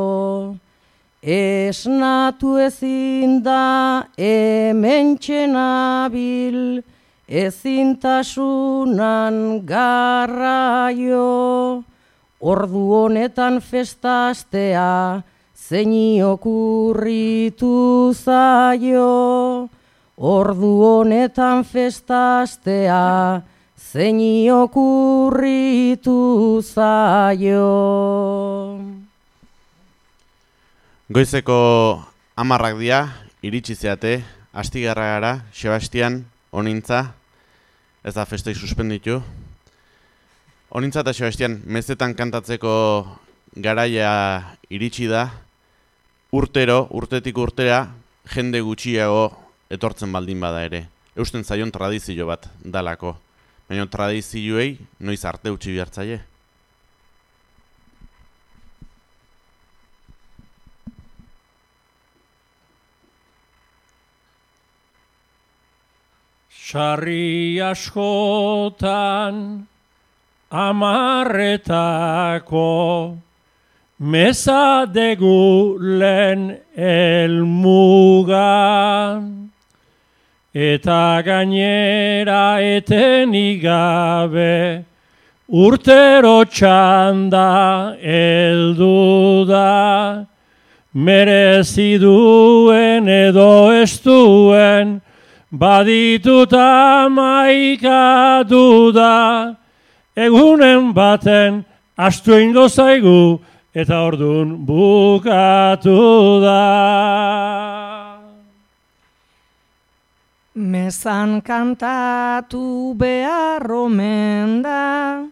Esnatu ezin da hementxe nabil, ezintasunan garraio. Ordu honetan festastea, zeini okurritu zaio. Ordu honetan festastea, zeini okurritu zaio. Goizeko hamarrak dira, iritsi zeate, astigarra gara, Sebastian, Onintza, ez da festai suspenditu. Onintza eta Sebastian, mezetan kantatzeko garaia iritsi da, urtero, urtetik urtera, jende gutxiago etortzen baldin bada ere. Eusten zaion tradizio bat dalako, baina tradizioei noiz arte utzi bihartzaile. Sarri askotan amarretako meza degu lehen elmugan, eta gainera etenik gabe urtero txanda heldu da, merezi duen edo ez duen, baditut amaika duda, egunen baten astu ingo zaigu, eta ordun bukatu da. Mezan kantatu behar omen da,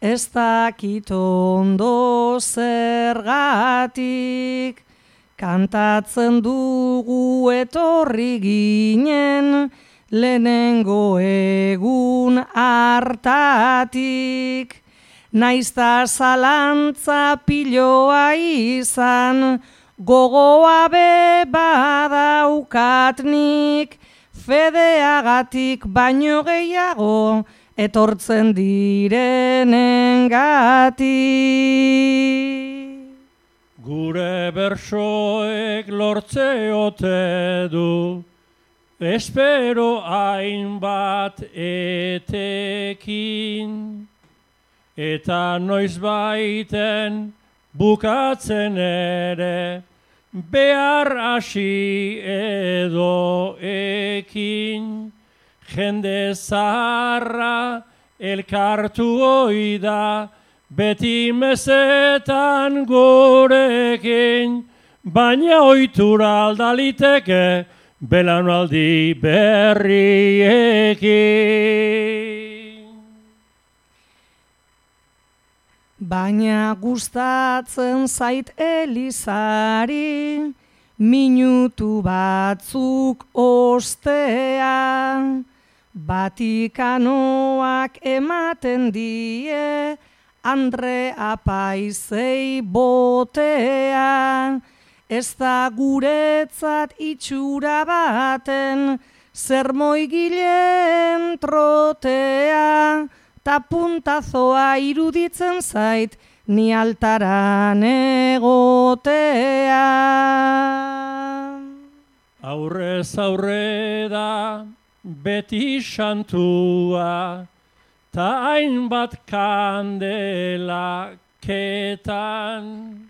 ez dakit ondo zergatik, kantatzen dugu etorri ginen, lehenengo egun hartatik. Naizta zalantza piloa izan, gogoa be badaukatnik, fedeagatik baino gehiago etortzen direnengatik. Gure bersoek lortze ote du, espero hainbat etekin, eta noiz baiten bukatzen ere, behar hasi edo ekin, jende zaharra elkartu oida, beti mezetan gurekin, baina ohitura aldaliteke belaunaldi berriekin. Baina gustatzen zait elizari, minutu batzuk ostean, Vatikanoak ematen die, Andre apaizei botean, ez da guretzat itxura baten, zermoigileen trotea, ta puntazoa iruditzen zait, ni altaran egotea. Aurrez aurre da beti santua, ta hainbat kandela ketan,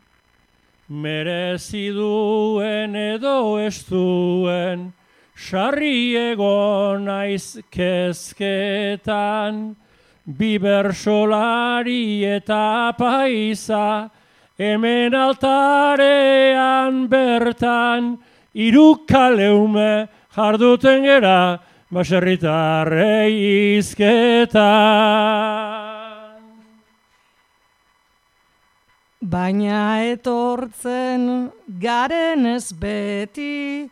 merezi duen edo ez duen, sarri egon naiz kezketan, bibersolari eta paisa, hemen altarean bertan, irukaleume jarduten gera, baserritarrei izketan. Baina etortzen garen ez beti,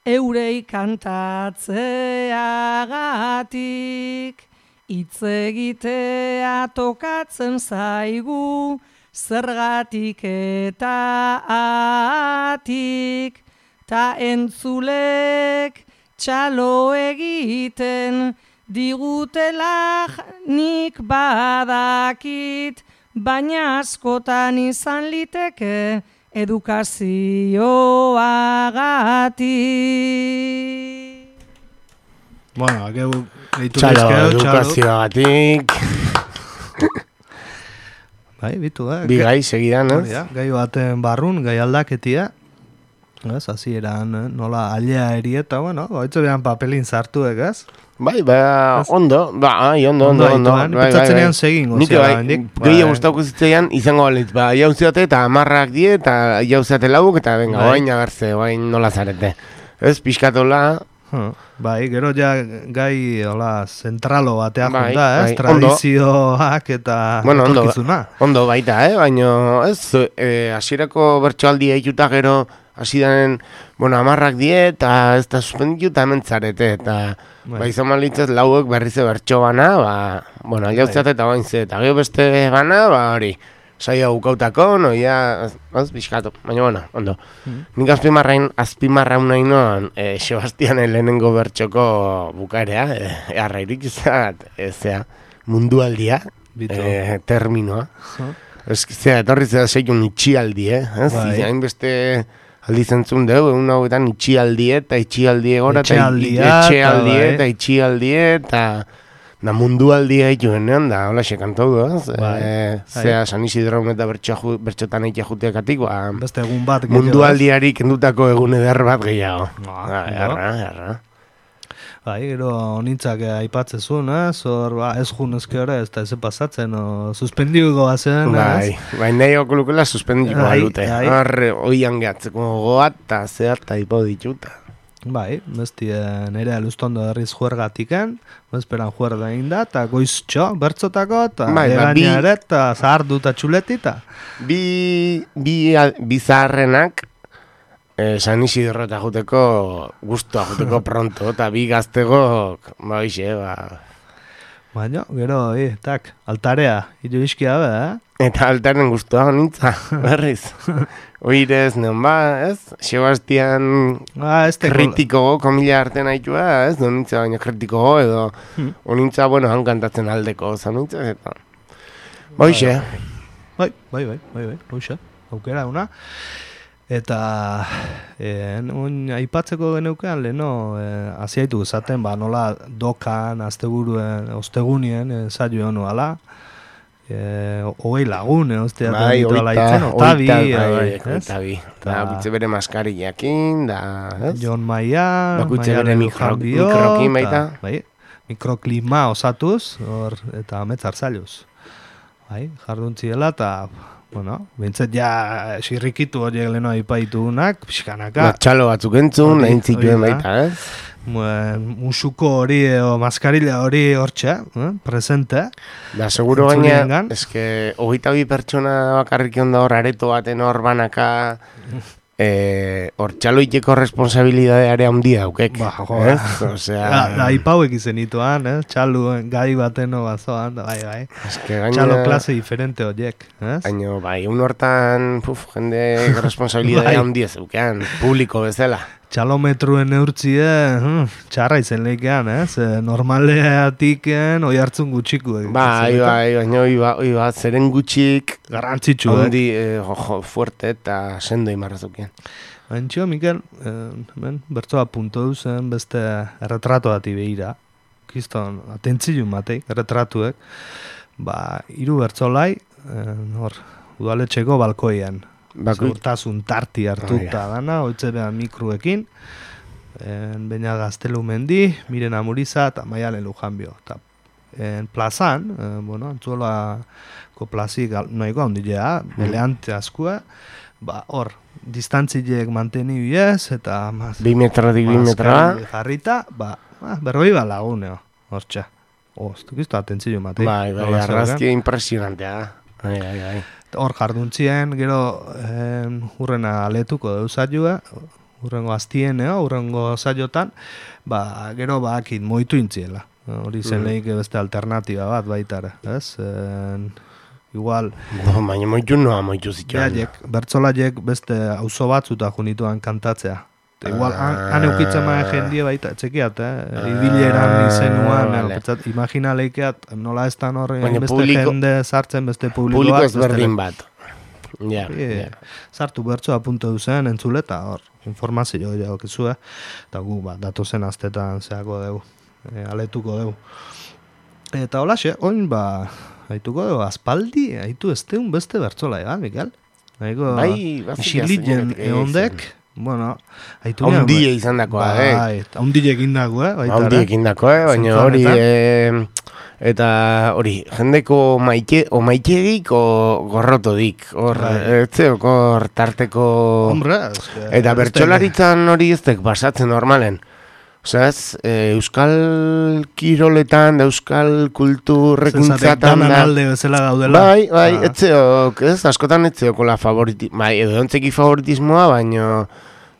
eurei kantatzeagatik, hitz egitea tokatzen zaigu, zergatik eta atik, ta entzulek txalo egiten, digutela nik badakit, baina askotan izan liteke edukazioagatik. Bueno, akeu gehitu Txalo, bizkeo, edukazioagatik. Bai, bitu, eh? Bi gai segidan, ez? Ja, gai baten barrun, gai aldaketia. Ez, hasi eran, eh? Nola alea erieta, bueno, baitzu behan papelin sartuek, ez? Bai, ba, ondo, ba, ai, ondo, ondo, ondo. Ondo, pentsatzen ean segin, Nik gozia, bai, hendik. gehiago gustauko zitzaian izango balitz, ba, jauziate eta amarrak die eta jauziate lauk eta venga, Bai. oain agertze, oain nola zarete. Ez, pixkatola, Huh, bai, gero ja gai hola zentralo batea Bai, junta, ez? bai, Tradizioak eta bueno, ondo, etorkizuna. ondo baita, eh? Baina, ez, eh, hasierako bertsoaldia ikuta gero, hasi denen, bueno, amarrak die eta ez da suspenditu eta hemen zarete, eta Bai. ba, izan malitzez lauek berrize bertso bana, ba, bueno, jauziate eta bain ze, eta gero beste bana, ba, hori, saia bukautako, noia, ez, ez, bizkatu, baina, bueno, ondo. Mm. Nik azpimarrain, azpimarraun nahi noan, e, Sebastianen lehenengo bertxoko bukaerea, e, arrairik izat, e, zea, mundualdia, Bitu. e, terminoa. Huh. Ez, zea, etorri zera zeiun itxialdi, eh? Ez, Bai. hainbeste aldi zentzun dugu, egun hauetan itxialdie eta itxialdie gora, eta Etxealdia, etxealdie eta eta itxialdie eta da mundualdia egiten nean da, hola sekantau du, ez? Bai, E, zea, San Isidro eta bertxo, bertxotan eitea juteakatik, ba, Beste egun bat gehiago, mundualdiari kendutako egun eder bat gehiago. Ah, Ah, ondo. erra, erra. Bai, gero honintzak aipatzezun, ez? Hor, ba, ez junezke hori, ez da ez pasatzen, o, suspendiuko bazen, Bai, bai, nahi okulukela suspendiko Bai, balute. bai. Horre, oian gehatzeko goat, eta zehar, eta ipo dituta. Bai, besti nire alustondo herriz juergatiken, bezperan juer da inda, eta goiztxo, bertzotako, eta Bai, ba, bi- egaina ere, eta zahardu eta txuletita. Bi, bi, bi zaharrenak, eh, San Isidro eta juteko, guztua juteko pronto, eta bi gaztegok, ba, hoxe, ba, Baina, gero, e, tak, altarea, hiru iskia be, eh? eta altaren guztua nintza, berriz. Oirez, neon ba, ez? Sebastian Ah, ez teko... kritiko komila artean haitua, ez? Do nintza baina kritiko edo, Hmm. onintza, bueno, han kantatzen aldeko, zan nintza, eta... Hoxe, Bai, bai, bai, bai, bai, hoxe, aukera una. Eta, eh, un, aipatzeko geneukean, leheno, eh, aziaitu esaten, ba, nola dokan, asteburuen, ostegunien, eh, saio nuala, eh, hogei lagun, eh, ostia, bai, ditu ala oita, itzen, oita, otabi, bai, bai, ez? oitabi. Eta Ta- bitze bere maskarillakin, da, ez? Jon Maia, Bakoitze Maia bere Lelu mikro- Janbio, mikrokin baita. ta, bai, mikroklima osatuz, hor, eta ametzar zailuz. Bai, jarduntziela, eta, bueno, bintzat ja sirrikitu horiek leheno aipaitu-unak, pixkanaka. Ba, txalo batzuk entzun, Hori, nahin zituen hori da. baita, ez? Buen, musuko hori o maskarilla hori hortxe, eh, presente. Da, seguro gaina, Entzuliengan. eske, hogeita bi pertsona bakarrik onda hor areto baten hor banaka, eh, hor txaloiteko responsabilidadeare handia daukek. Ba, jo, ez? Osea, Da, da aipauek izenituan, eh, txalu gai bateno bazoan, da, bai, bai. eske gaina, Txalo klase diferente horiek, ez? Baina, bai, un hortan, puf, jende responsabilidadea Bai. handia zeukean, publiko bezala. Txalometruen neurtzie, hm, txarra izen leikean, ez? Eh, normaleatiken oi hartzun gutxikuek. Bai, bai, baina, oi ba, oi ba, zeren gutxik, Garrantzitsuek. handi, eh, jo, jo, fuerte eta sendo imarrazukean. Antxo, Mikel, eh, hemen, bertsoa punto duzen beste erretrato bati behira. Kiston, atentzilun bateik, erretratuek. Ba, hiru bertzolai, eh, hor, udaletxeko balkoian. Bakoit- Segurtasun tarti hartuta Oh, dana, oitze behan mikruekin. En Beña Gaztelu Mendi, Miren Amuriza eta Maialen Lujanbio. Eta en plazan, eh, bueno, antzolako plazik noiko handilea, beleante askua, ba, hor, distantzileek manteni biez, eta maz, Bi metratik bi metra, maskari jarrita, ba, ba berroi ba laguneo, hortxe. Oh, ez dukiztu atentzio matei. bai, bai, arrazkia impresionantea da. Bai, bai, bai. Hor jarduntzien, gero eh, hurrena aletuko deuzaiua, urrengo aztien, eh, urrengo saiotan, ba, gero bakit moitu intziela. Hori zen mm. lehik beste alternatiba bat baitara, ez? En, igual... No, baina moitu noa moitu zituen. Bertzolaiek beste auzo batzuta junituan kantatzea. Igual, han, han eukitzen maia jendie baita, txekiat, eh? Ah, Ibileran izenuan, vale. Petzat, imagina leikeat, nola ez tan horri, beste publiko, jende sartzen, beste publikoak. Publiko ezberdin bat. Ja, yeah, yeah. Sartu bertsoa punto duzen entzuleta, hor, informazio jo okizu, eh? Eta gu, ba, datozen astetan zeako dugu, e, aletuko dugu. Eta holaxe, oin, ba, haituko dugu, aspaldi, haitu ez deun beste bertsola, ega, Mikel? Haiko, bai, xilien eondek, bueno, haitu ondile izan dakoa, eh? Ondile egin dagoa, eh? Ondile egin dakoa, eh? Baina hori, eh, eta hori, jendeko maite, o maiterik, o gorrotodik, hor, etzeok, hor, tarteko... Hombre, eta bertsolaritzan hori eztek basatzen normalen. Osea, ez, e, euskal kiroletan, da euskal kulturrekuntzatan da... alde bezala gaudela. Bai, bai, ah. etzeok, ez, askotan etzeokola favoritismoa, bai, edo ontzeki favoritismoa, baino,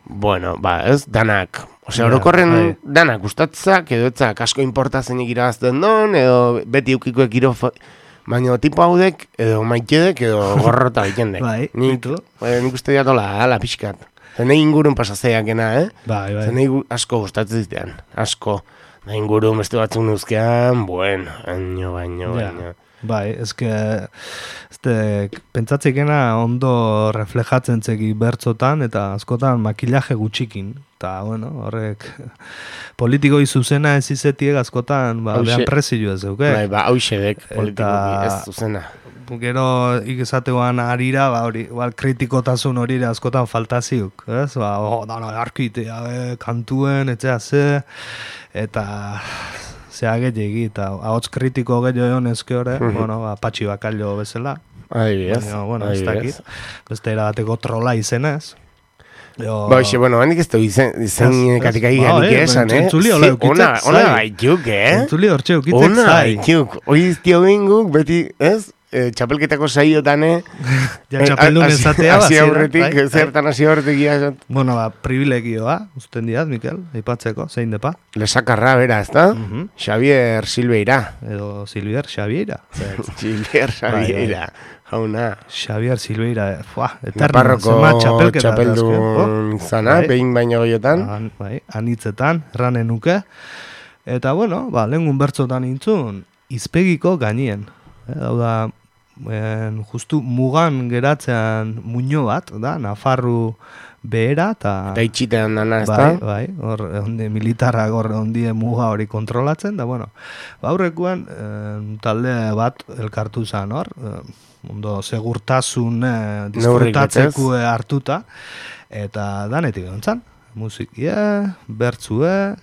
bueno, ba, ez, danak. Osea, orokorren yeah, danak gustatzak, edo etzak asko importazenik irabazten don, edo beti eukikoek iro... Baina tipo haudek, edo maitedek, edo gorrota ikendek. Bai, nik, nik uste diatola, ala pixkat. Zenei ingurun pasazeakena, eh? Bai, bai. Zenei asko gustatzen zitean, asko. Da ingurun beste batzuk nuzkean, bueno, baino, baino, baino. Bai, ezke, ezte, pentsatzekena ondo reflejatzen zeki bertzotan, eta askotan makillaje gutxikin. Eta, bueno, horrek, politikoi zuzena ez izetiek askotan, ba, behan prezio ez duke. Bai, ba, hauxedek politikoki ez zuzena. Gero ikezatean arira, ba, hori, igual kritikotasun hori askotan faltaziuk, ez? Ba, oh, dano, arkitea, e, kantuen, etxea ze, eta zea gehiagi, eta ahots kritiko gehiago egon ezke hori, mm -hmm. bueno, ba, patxi bakallo bezala. Ahi bez, bueno, ez dakit, beste erabateko trola izenez. Yo... Ba, xe, bueno, handik ez du izen, izen katikai ganik esan, eh? Ona, ona gaituk, eh? Entzuli hortxe ukitzek zai. Ona gaituk, hori iztio binguk, beti, ez? Eh, txapelketako saiotan, eh? Ja, txapeldun ezatea, ba, aurretik, bai, zertan hasi aurretik ia. Bueno, ba, privilegioa, usten diat, Mikel, aipatzeko, zein depa? Lesakarra, bera, ez da? Uh -huh. Xavier Silveira. Edo Silvier Xaviera. Silvier Xaviera. Hauna. Xavier Silveira, fuah, eterno, zema txapelketa. Txapeldun zana, bai, behin baino goiotan. An, bai, anitzetan, erranen nuke. Eta, bueno, ba, lehengun bertzotan intzun, izpegiko gainien. Hau da, en, justu mugan geratzean muño bat, da, Nafarru behera, eta... Eta itxitean dana, ez da? Bai, bai, hor, onde militarrak hor, ondie muga hori kontrolatzen, da, bueno, aurrekoan, en, talde bat elkartu zen, hor, ondo segurtasun eh, disfrutatzeko hartuta, eta danetik gontzan, musikia, bertzue,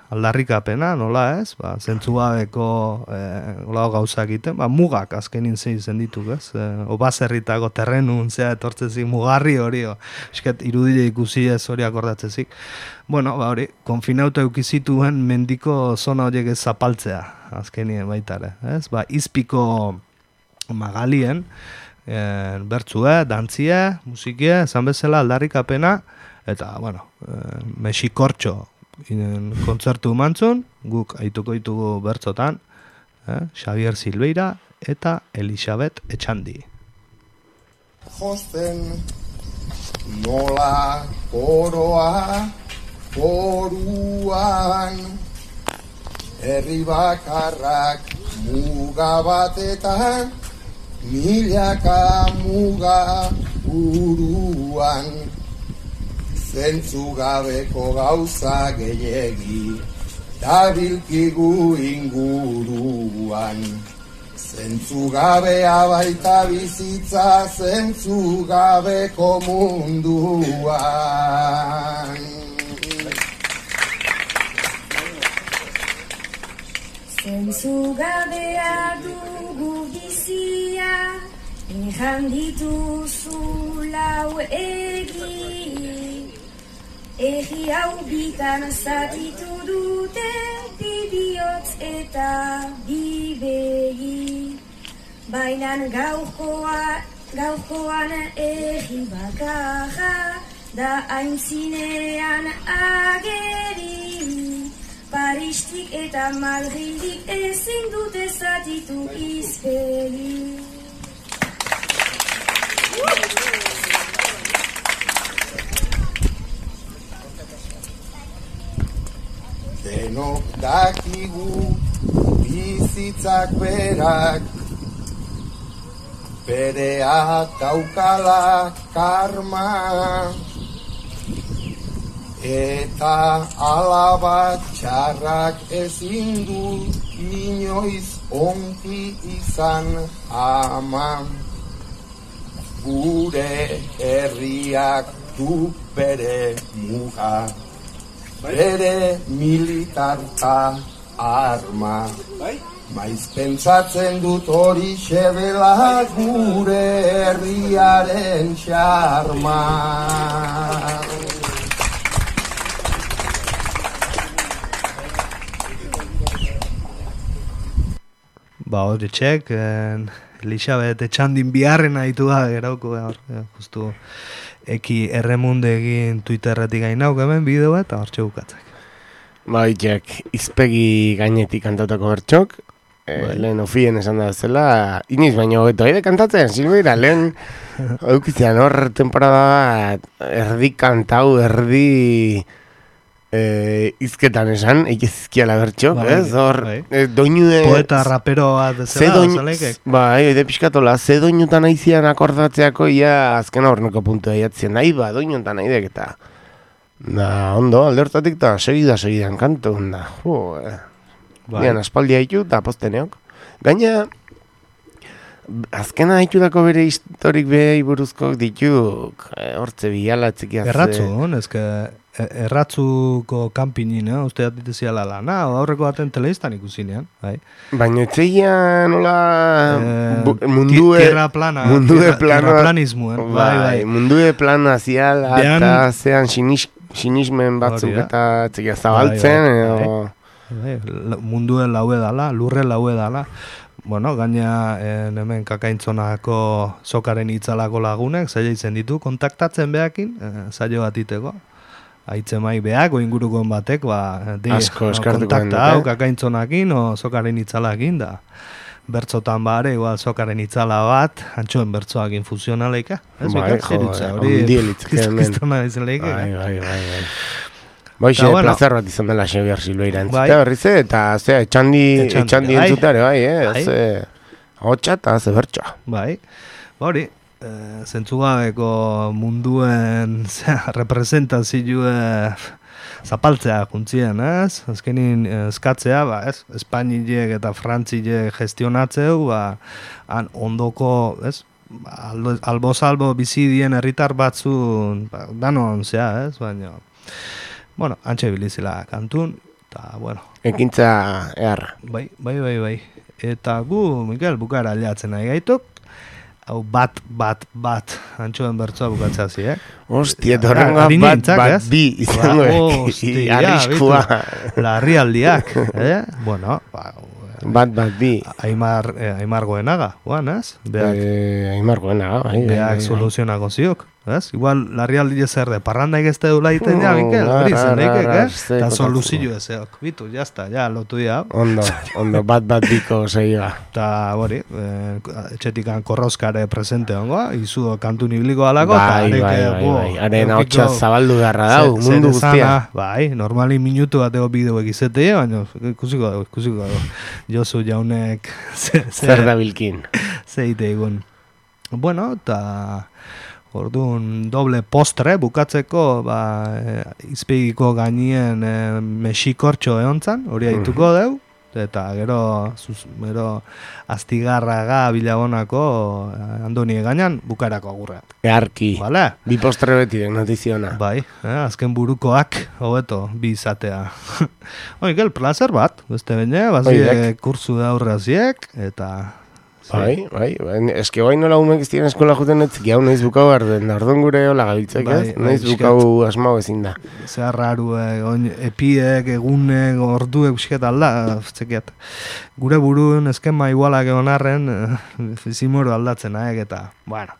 aldarrikapena, nola ez, ba, zentzugabeko eh, gauza egiten, ba, mugak azkenin zein zendituk, ez, eh, obazerritako terrenun zea etortzezik, mugarri hori, esket irudile ikusi ez hori akordatzezik. Bueno, ba, hori, konfinauta eukizituen mendiko zona horiek ez zapaltzea, azkenien baitare, ez, ba, izpiko magalien, eh, bertzue, dantzie, musikie, esan bezala aldarrikapena, eta, bueno, eh, mexikortxo, inen kontzertu mantzun, guk aituko ditugu bertzotan, eh? Xavier Silveira eta Elisabet Etxandi. Josten nola koroa koruan, herri bakarrak muga batetan, milaka muga buruan. Zentzugabeko gauza gehiegi, dabilkigu inguruan. Zentzugabea baita bizitza, zentzugabeko munduan. Zentzugabea dugu bizia, ejan dituzu lau egi. Egi hau bitan zatitu dute, bibihotz eta bibegi. Bainan gaurkoa, gaurkoan egi bakarra, da aintzinean ageri, Paristik eta Madrildik ezin dute zatitu izpegi. Denok dakigu bizitzak berak, berea daukala karma, eta alabat txarrak ezin du inoiz onki izan ama. Gure herriak du bere muga, bere militarta arma. Maiz pentsatzen dut hori xebela gure herriaren xarma. Ba, hori txek, Elizabeth Etxandin biharren haitu da, gerauko, justu eki erremunde egin Twitterretik gain nauk hemen bideo eta hortxe bukatzak. Ba, itxek, izpegi gainetik kantatako bertxok, e, lehen ofien esan da zela, iniz baino hobeto aide kantatzen, Silveira, lehen aukitzean hor temporada erdi kantau, erdi e, izketan esan, eikizkiala bertxok, bai, ez? Hor, bai. e, doinu... E, Poeta rapero bat zela, zalekek. Bai, oide pixkatola, ze doinutan aizian akordatzeako, ia azken horneko puntua iatzen, nahi ba, doinutan aidek eta... Da, ondo, alde hortatik eta segida-segidan kantu, da, jo, eh. Bai. Bian, aspaldia haitu eta posteneok. Gaina, azkena haitudako bere historik behi buruzkok dituk, eh, hortze biala txikiaz. Erratzu, ezke, erratzuko kanpinin, eh? Uste atiteziala lana, aurreko baten teleiztan ikusinean, bai. Baina etxeia nola Eh, mundue... tierra plana, mundue tierra, plano, tierra planismoen, bai, bai. bai, mundue plano aziala Behan- eta zean sinis, sinismen batzuk Hori da. eta txikia zabaltzen, Bai, bai, edo... Bai, la- munduen laue dala, lurre laue dala. Bueno, gaina eh, hemen kakaintzonako sokaren itzalako lagunek, zaila izen ditu, kontaktatzen behakin, eh, zailo bat iteko. Aitzen mai beak, o ingurukoen batek, ba, di, Asko no, eskartuko kontakta dute. hau kakaintzonakin, o sokaren itzalakin, da. Bertzotan bare, igual sokaren itzala bat, antxoen bertzoakin fusionaleika. Ez Bai, bekat, jo, zirutza, eh, hori, ondiel litzake hemen. kizkiztona izan leike. Bai, bai, bai, bai. Boixe, Ta, bueno. plazer bat izan dela Xabier Silveira entzutea Bai. berriz, eta ze, etxandi, Etxandi, etxandi bai. entzuteare, bai, eh? Bai. Ze, hotxa eta ze bertxa. Bai, ba hori, e, zentzugabeko munduen zera, representazioe zapaltzea juntzien, ez? Azkenin eh, eskatzea, ba, ez? Espainilek eta Frantzilek gestionatzeu, ba, han ondoko, ez? Albo, albo salbo bizi dien herritar batzun, ba, danon zea, ez? Baina, bueno, antxe bilizela kantun, eta, bueno. Ekintza eharra. Bai, bai, bai, bai. Eta gu, Mikel, bukara aliatzen nahi gaituk, hau bat, bat, bat, antxoen bertzoa bukatzea zi, eh? Hostia, torrengoa Ari bat, nintzak, bat, ez? bi, izango Ba, eki, hostia, arriskua. bitu, larrialdiak, eh? Bueno, ba, Bat, bat, bi. Aimar, eh, Aimar goenaga, guan, ez? Beak, Eh, Aimar goenaga, bai, bai, beak bai. soluzionako ziok, ez? Igual, larrialdi zer de, parrandaik ez dela iten ja, Oh, Mikel, hori ar, zen ar, leikek, ar, eh? ze Eta kotatzen. soluzio ezeok, bitu, jazta, ja, lotu dia. Ondo, ondo, bat, bat, biko seiga. Eta, hori, eh, etxetikan korrozkare presente ongoa, izu kantun ibliko alako, Bai, bai, bai, bai. Haren hautsa zabaldu beharra dau, mundu guztia. Bai, normali minutu bateko bideoek izeteie, baina ikusiko dago, ikusiko dago. Josu jaunek ze, ze, Zer da bilkin. zeite egun. Bueno, eta orduan doble postre bukatzeko, ba, e, izpegiko gainien e, mexikortxo eontzan, hori haituko deu, eta gero, zuz, gero Astigarraga Bilabonako eh, Andoni gainan bukarako agurreat. Earki. Vale? Bi postre betirek notiziona. Bai, eh, azken burukoak, hobeto, bi izatea. Oikel, placer bat, beste bine, bazie Oidek. kursu da aurraziek, eta Bai, bai, bai, eske bai nola umek ez diren eskola juten etzik, hau nahiz bukau arden, ardon gure hola gabiltzak ez, nahiz bukau asmau ezin da. Zer raru, epiek, egunek, orduek bisket alda, txekiat. Gure buruen eskema igualak egon arren, zimoro aldatzen aek, eta, bueno,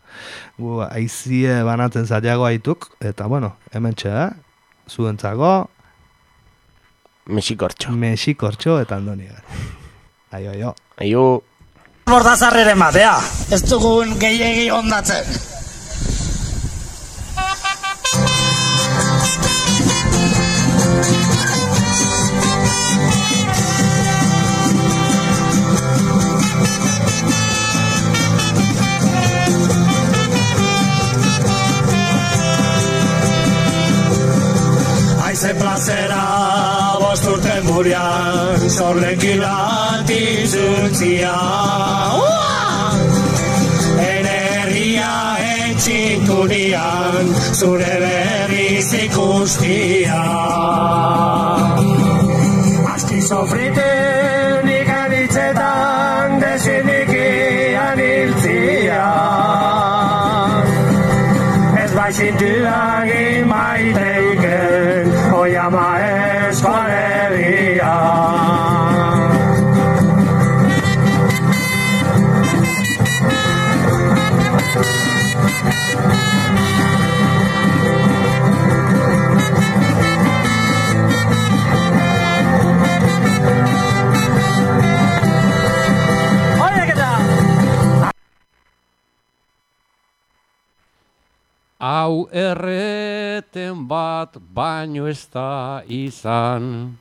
gu aizie banatzen zailago aituk, eta, bueno, hemen txea, zuentzako, Mexikortxo. Mexikortxo eta andoni gara. Aio, aio. Aio. Bordazarreren batea, ez dugun gehiegi ondatzen. Aize plazera bosturten murian, sorlekin latizuntzia. Energia etxintunian, zure berriz ikustia. Aski sofriten ikanitzetan, desinikian hiltzia. Ez baizintuagin maiteiken, oiama eskualegia. Hau erreten bat baino ez da izan,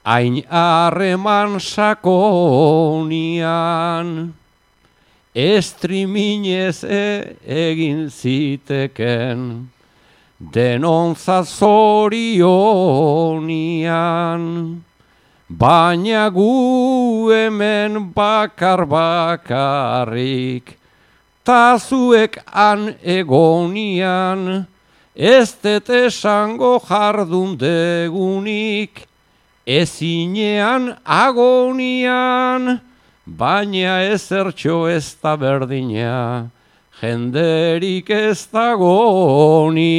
hain harreman sakonian, estriminez e egin ziteken, denontzat zorionian, baina gu hemen bakar bakarrik, ta zuek han egonian, ez dut esango jardun degunik, ezinean agonian, baina ezertxo ez da berdina, jenderik ez dagonian.